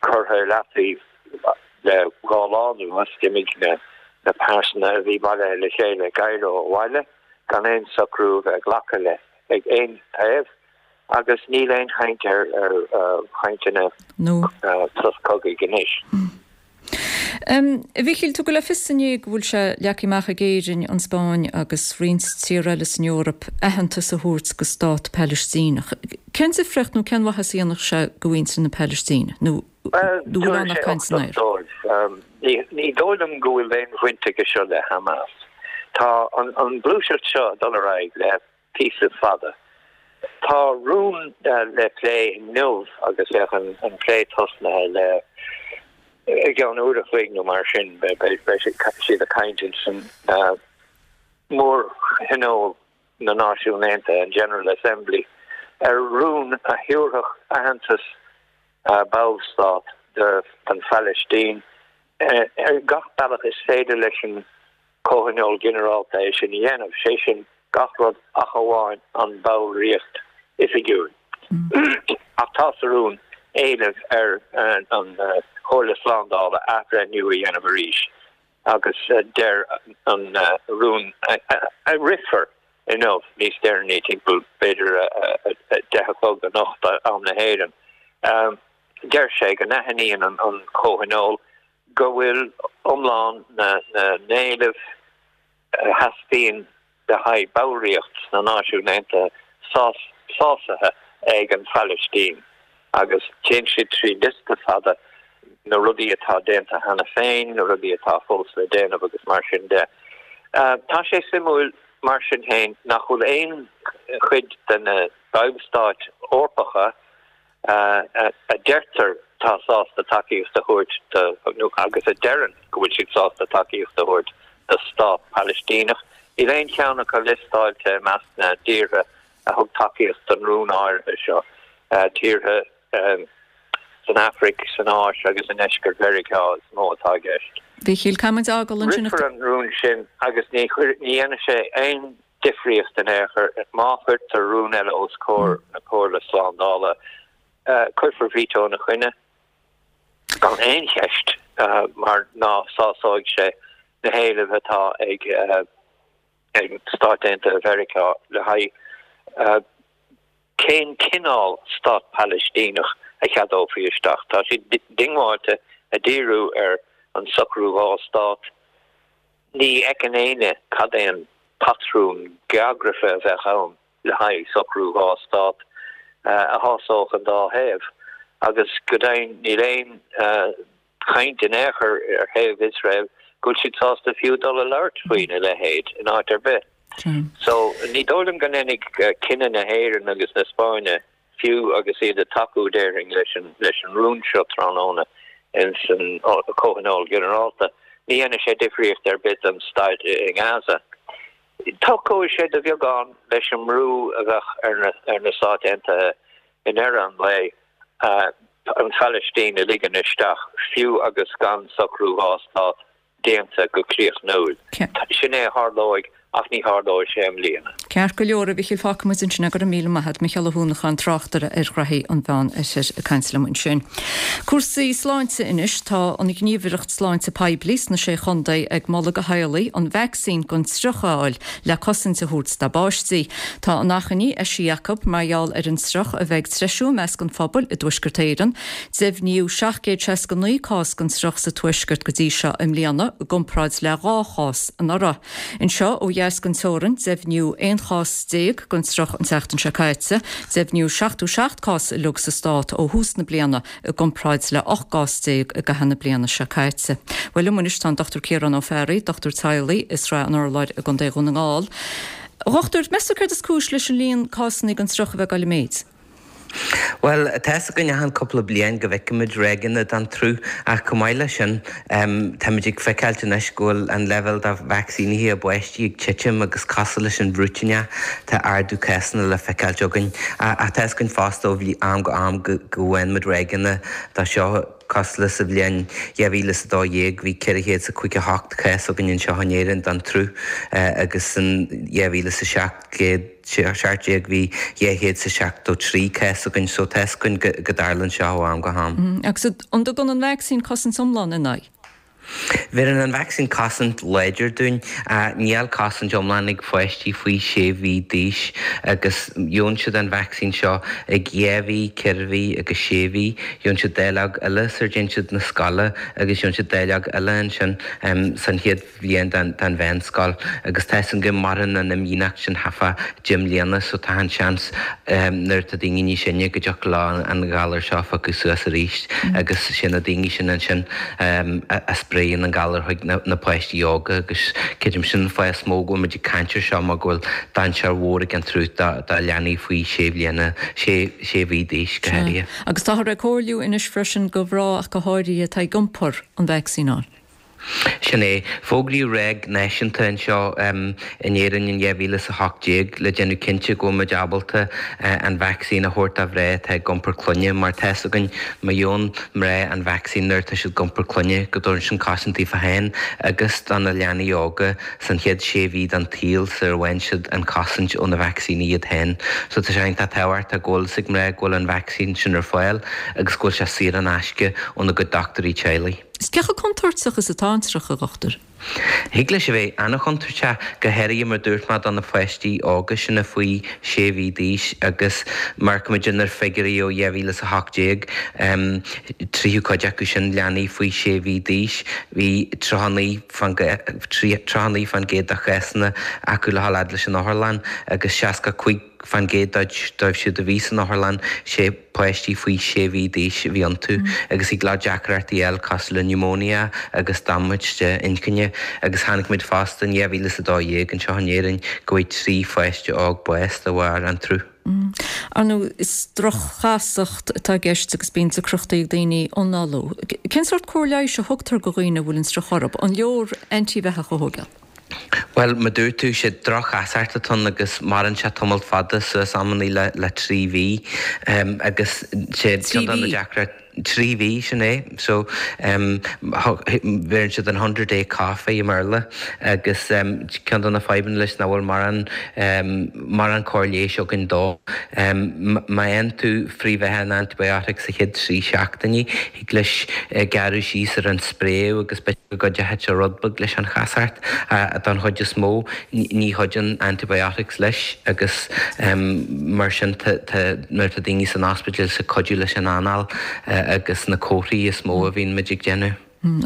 Speaker 16: curtha i leataobh le dhá lá anuas. D'imigh na pearsana a bhí bailithe le chéile i gCairo abhaile gan aon socrú a bheith glactha le ag aon taobh agus níl aon chaint ar chainteanna sos cogaidh anois.
Speaker 1: A Mhíchíl, tugadh le fios inné go bhfuil sé leagtha amach ag Éirinn, an Spáinn agus roinnt tíortha eile san Eoraip aitheantas a thabhairt go stát Palaistíneach. Cén difríocht nó cén mhaitheas a dhéanfadh sé go mhuintir na Palaistíne? Nó
Speaker 16: Bhuel,
Speaker 1: nó bhfuil ann ach caint san aer?
Speaker 16: dóibh. Ní dóigh liom go bhfuil aon bhaint aige seo le Hamas. Tá an ghluaiseacht seo ag dul ar aghaidh le píosa fada. Tá rún le plé inniu agus bheadh an plé tosnaithe le i gceann uair a chloig nó mar sin. Beidh siad ag caint ins an Mór-Thionól na Náisiún Aontaithe, an General Assembly, ar rún a thabharfadh aitheantas ballstát don Phalaistín ar gach bealach is féidir leis an Comhthionól Ginearálta é sin a dhéanamh, sé sin gach rud ach amháin an bhallraíocht oifigiúil. Ach tá sa rún éileamh ar an Chomhairle Slándála athbhreithniú a dhéanamh arís agus deir an rún a rithfear inniu níos deireanaí, timpeall b'fhéidir 10 a chlog anocht am na hÉireann, deir sé go n-aithníonn an Comhthionól go bhfuil iomlán na n-éileamh a theastaíonn le haghaidh ballraíocht sna Náisiúin Aontaithe sásaithe ag an Phalaistín agus téann siad trí liosta fada na rudaí atá déanta cheana féin, na rudaí atá fós le déanamh agus mar sin de. Tá sé suimiúil mar sin féin nach bhfuil aon chuid de na ballstáit Eorpacha a deirtear atá sásta tacaíocht a thabhairt do, nó agus a deireann go bhfuil siad sásta tacaíocht a thabhairt do stát Palaistíneach. Níl aon cheann acu liostáilte i measc na dtíortha a thug tacaíocht don rún áirithe seo, tíortha san Afraic, san Áis agus i ndeisceart Mheiriceá is mó atá i gceist.
Speaker 1: Mhíchíl, caithfidh muid a fhágáil ansin.
Speaker 16: Rithfear an rún sin agus ní dhéanfaidh sé aon difríocht in aon chor. Má chuirtear rún eile os comhair na Comhairle Slándála, cuirfear veto ina choinne gan aon cheist mar ná sásóidh sé na héilimh atá ag Stáit Aontaithe Mheiriceá le haghaidh cén cineál stát Palaistíneach a cheadófaí isteach. Tá siad diongbháilte ag díriú ar an socrú dhá stát. Ní fheiceann éinne cad é an patrún geografaithe a bheadh ann le haghaidh socrú dhá stát a shásódh an dá thaobh agus go deimhin níl aon chaint in aon chor ar thaobh Iosrael go bhfuil siad sásta fiú dul a labhairt faoina leithéid in áit ar bith. So ní dóigh liom go ndéanfaidh cinneadh na hÉireann agus na Spáinne fiú agus iad ag tacú, déarfainn, leis an leis an rún seo tráthnóna ins an Comhthionól Ginearálta, ní dhéanfaidh sé difríocht ar bith don staid i nGaza. Tacóidh sé de bheagán leis an mbrú a bheadh ar na ar na Stáit Aontaithe i ndeireadh an lae an Phalaistín a ligean isteach, fiú agus gan socrú dhá stát déanta go críochnúil. Sin é a tharlóidh ach ní tharlóidh sé i mbliana.
Speaker 1: Ceart go leor, a Mhichíl, fágfaidh muid ansin é. Go raibh míle maith agat. Micheál Ó hUanacháin, tráchtaire ar ghraithí an Mheán Oirthir ag caint liom ansin. Cúrsaí sláinte anois. Tá an Ghníomhaireacht Sláinte Poiblí sna Sé Chontae ag moladh do theaghlaigh an vacsaín don triuch a fháil le cosaint a thabhairt dá bpáistí. Tá an achainí eisithe acu mar gheall ar an triuch a bheith ag treisiú i measc an phobail i dTuaisceart Éireann. Deimhníodh 769 cás den triuch sa Tuaisceart go dtí seo i mbliana, i gcomparáid le 2 chás anuraidh. Anseo ó dheas den teorainn, deimhníodh 11 chás den triuch an tseachtain seo caite. Deimhníodh 77 cás uilig sa stát ó thús na bliana, i gcomparáid le 18 gcás i gcaitheamh na bliana seo caite. Bhuel liom anois tá an Dr Ciarán Ó Fearraigh, dochtúir teaghlaigh i Srath an Urláir i gContae Dhún na nGall. A dhochtúir, meas tú céard is cúis leis an líon cásanna den triuch a bheith ag dul i méid?
Speaker 17: Bhuel, tá fhios againn achan cúpla bliain go bhfeicimid ráigeanna den triuch ach chomh maith leis sin, táimid ag feiceáilt anois go bhfuil an leibhéal de vacsaínithe i bpáistí ag titim agus cosúil leis an bhruitíneach, tá ardú cásanna le feiceáilt againn. Ach tá fhios againn fosta ó am go am go bhfaigheann muid ráigeanna de seo, cosúil le sa bhliain 2012 bhí 458 cás againn anseo in Éirinn den triuch agus san 2017, 17 bhí 273 cás againn so tá fhios againn go dtarlaíonn seo ó am go ham.
Speaker 1: Agus an dtugann an vacsaín cosaint iomlán ina aghaidh?
Speaker 17: Bheireann an vacsaín cosaint láidir dúinn. Níl cosaint iomlán ag pháistí faoi 6 mhí d'aois agus gheobhann siad an vacsaín seo ag 2 mhí, 4 mhí agus 6 mhí. Gheobhann siad dáileog eile sar dtéann siad 'na scoile agus gheobhann siad dáileog eile ansin san chéad bhliain den mheánscoil agus tá 'fhios againn go maireann an imdhíonacht sin thart fá 10 mbliana so tá an seans nuair atá daoine níos sine go dtiocfadh leo an galar seo a phiocadh suas arís agus sé na daoine sin ansin a spréann an galar chuig na páistí óga agus creidim sin an fáth is mó go bhfuil muid ag caint ar seo mar go bhfuil dainséar mhór ag an tsruth do leanaí faoi 6 bhliana, 6 mhí d'aois go háirithe.
Speaker 1: Agus táthar ag comhairliú anois freisin do mhná ach go háirithe atá ag iompar an vacsaín a fháil.
Speaker 17: Sin é. Fógraíodh ráig náisiúnta anseo in Éirinn in 2018 le déanamh cinnte go bhfuil muid ábalta an vacsaín a thabhairt do mhná atá ag iompar clainne mar tá 'fhios againn má gheobhann mná an vacsaín nuair atá siad ag iompar clainne go dtabharann sin cosaint daofa féin agus do na leanaí óga san chéad sé mhí den tsaol sar a bhfaigheann siad an chosaint ó na vacsaíní iad féin. So tá sé iontach tábhachtach go bhfuil 'fhios ag mná go bhfuil an vacsaín sin ar fáil agus go bhfuil sé saor in aisce óna gcuid dochtúirí teaghlaigh.
Speaker 1: Is cé chomh contúirteach is atá an sruth, a dhochtúir?
Speaker 17: Thig leis a bheith an-chontúirteach, go háirithe mar dúirt mé do na pháistí óga sin faoi 6 mhí d'aois agus má amharcaimid ar figiúirí ó 2018, tríú cuid acu sin leanaí faoi 6 mhí d'aois, bhí 39 fán 39% de chásanna acu le dhul fhad leis an otharlann agus 65 fán gcéad dóibh siúd a bhí san otharlann, sé páistí faoi 6 mhí d'aois a bhí iontu agus thig leo deacrachtaí a fháil cosúil le niúmóinia agus damáiste inchinne agus chonaic muid fosta in 2012 anseo in Éirinn go bhfuair 3 pháiste óg bás de bharr an tsruth.
Speaker 1: Ar ndóigh, is droch-chasacht atá i gceist agus bíonn deacrachtaí ag daoine análú. Cén sórt cóir leighis a thugtar do dhaoine a bhfuil an sruth orthu? An leor antaibheathach a thógáil?
Speaker 17: Bhuel, mar dúirt tú, sé droch-chasacht atá ann agus maireann sé tamalt fada, suas amannaí le le 3 mhí. Agus sé ceann de na deacrachtaí, 3 mhí, sin é. So, bheireann siad an hundred day cough i mBéarla agus ceann de na fadhbanna leis nach bhfuil mórán mórán cóir leighis againn dó. Má fhaigheann tú frithbheatha an antibiotic sa chéad 3 seachtainí, Thig leis gearradh síos ar an spréadh agus b'fhéidir go gcuideoidh sé rud beag leis an chasacht. Don chuid is mó, ní chuidíonn antibiotics leis agus mar sin nuair atá daoine san ospidéal is ag cuidiú leis an anáil agus na comharthaí is mó a bhíonn muid ag déanamh.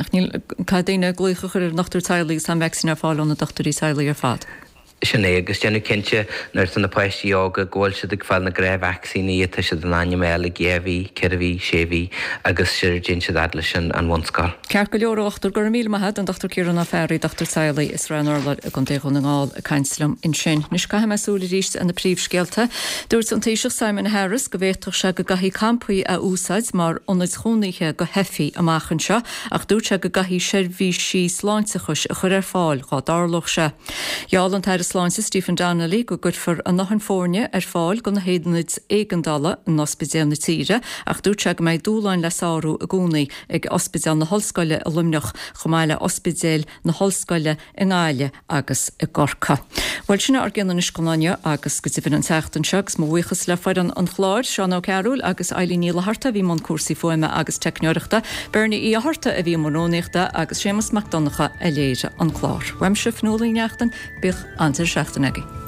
Speaker 1: Ach níl, caithfidh daoine glaoch a chur ar a ndochtúir teaghlaigh agus tá an vacsaín ar fáil ó na dochtúirí teaghlaigh ar fad.
Speaker 17: Sin é, agus déanamh cinnte nuair atá na páistí óga go bhfuil siad ag fáil na gnáth-vacsaíní atá siad in ainm a fháil ag 2 mhí, 4 mhí, 6 mhí agus sar a dtéann siad fhad leis an bhunscoil.
Speaker 1: Ceart go leor, a dhochtúir, go raibh míle maith agat, an Dr Ciarán Ó Fearraigh, dochtúir teaghlaigh i Srath an Urláir i gContae Dhún na nGall ag caint liom ansin. Anois caithfidh mé súil arís ar na príomhscéalta. Dúirt an Taoiseach Simon Harris go bhféadfadh sé go gcaithfí campaí a úsáid mar ionaid chónaithe do theifigh amach anseo ach dúirt sé go gcaithfí seirbhísí sláinteachais a chur ar fáil dhá dtarlódh sé. Gheall an tAire Sláinte Stephen Donnelly go gcuirfear a ndóthain foirne ar fáil do na haonaid éigeandála in ospidéil na tíre ach dúirt sé go mbeidh dúshláin le sárú i gcónaí ag Ospidéal na hOllscoile i Luimneach chomh maith le ospidéil na hOllscoile i nGaillimh agus i gCorcaigh. Bhuel, sin é ár gcion anois don lá inniu agus go deimhin an tseachtain seo agus mo bhuíochas le foireann an chláir, Seán Ó Cearúil agus Eilín Ní Fhlatharta a bhí i mbun cúrsaí fuaime agus teicneoireachta, Bernie Uí Fhátharta a bhí i mbun rúnaíochta agus Séamus Mac Donncha a léirigh an clár. Uaimse, Fionnuala Ní Neachtain, bíodh an-deireadh seachtaine agaibh.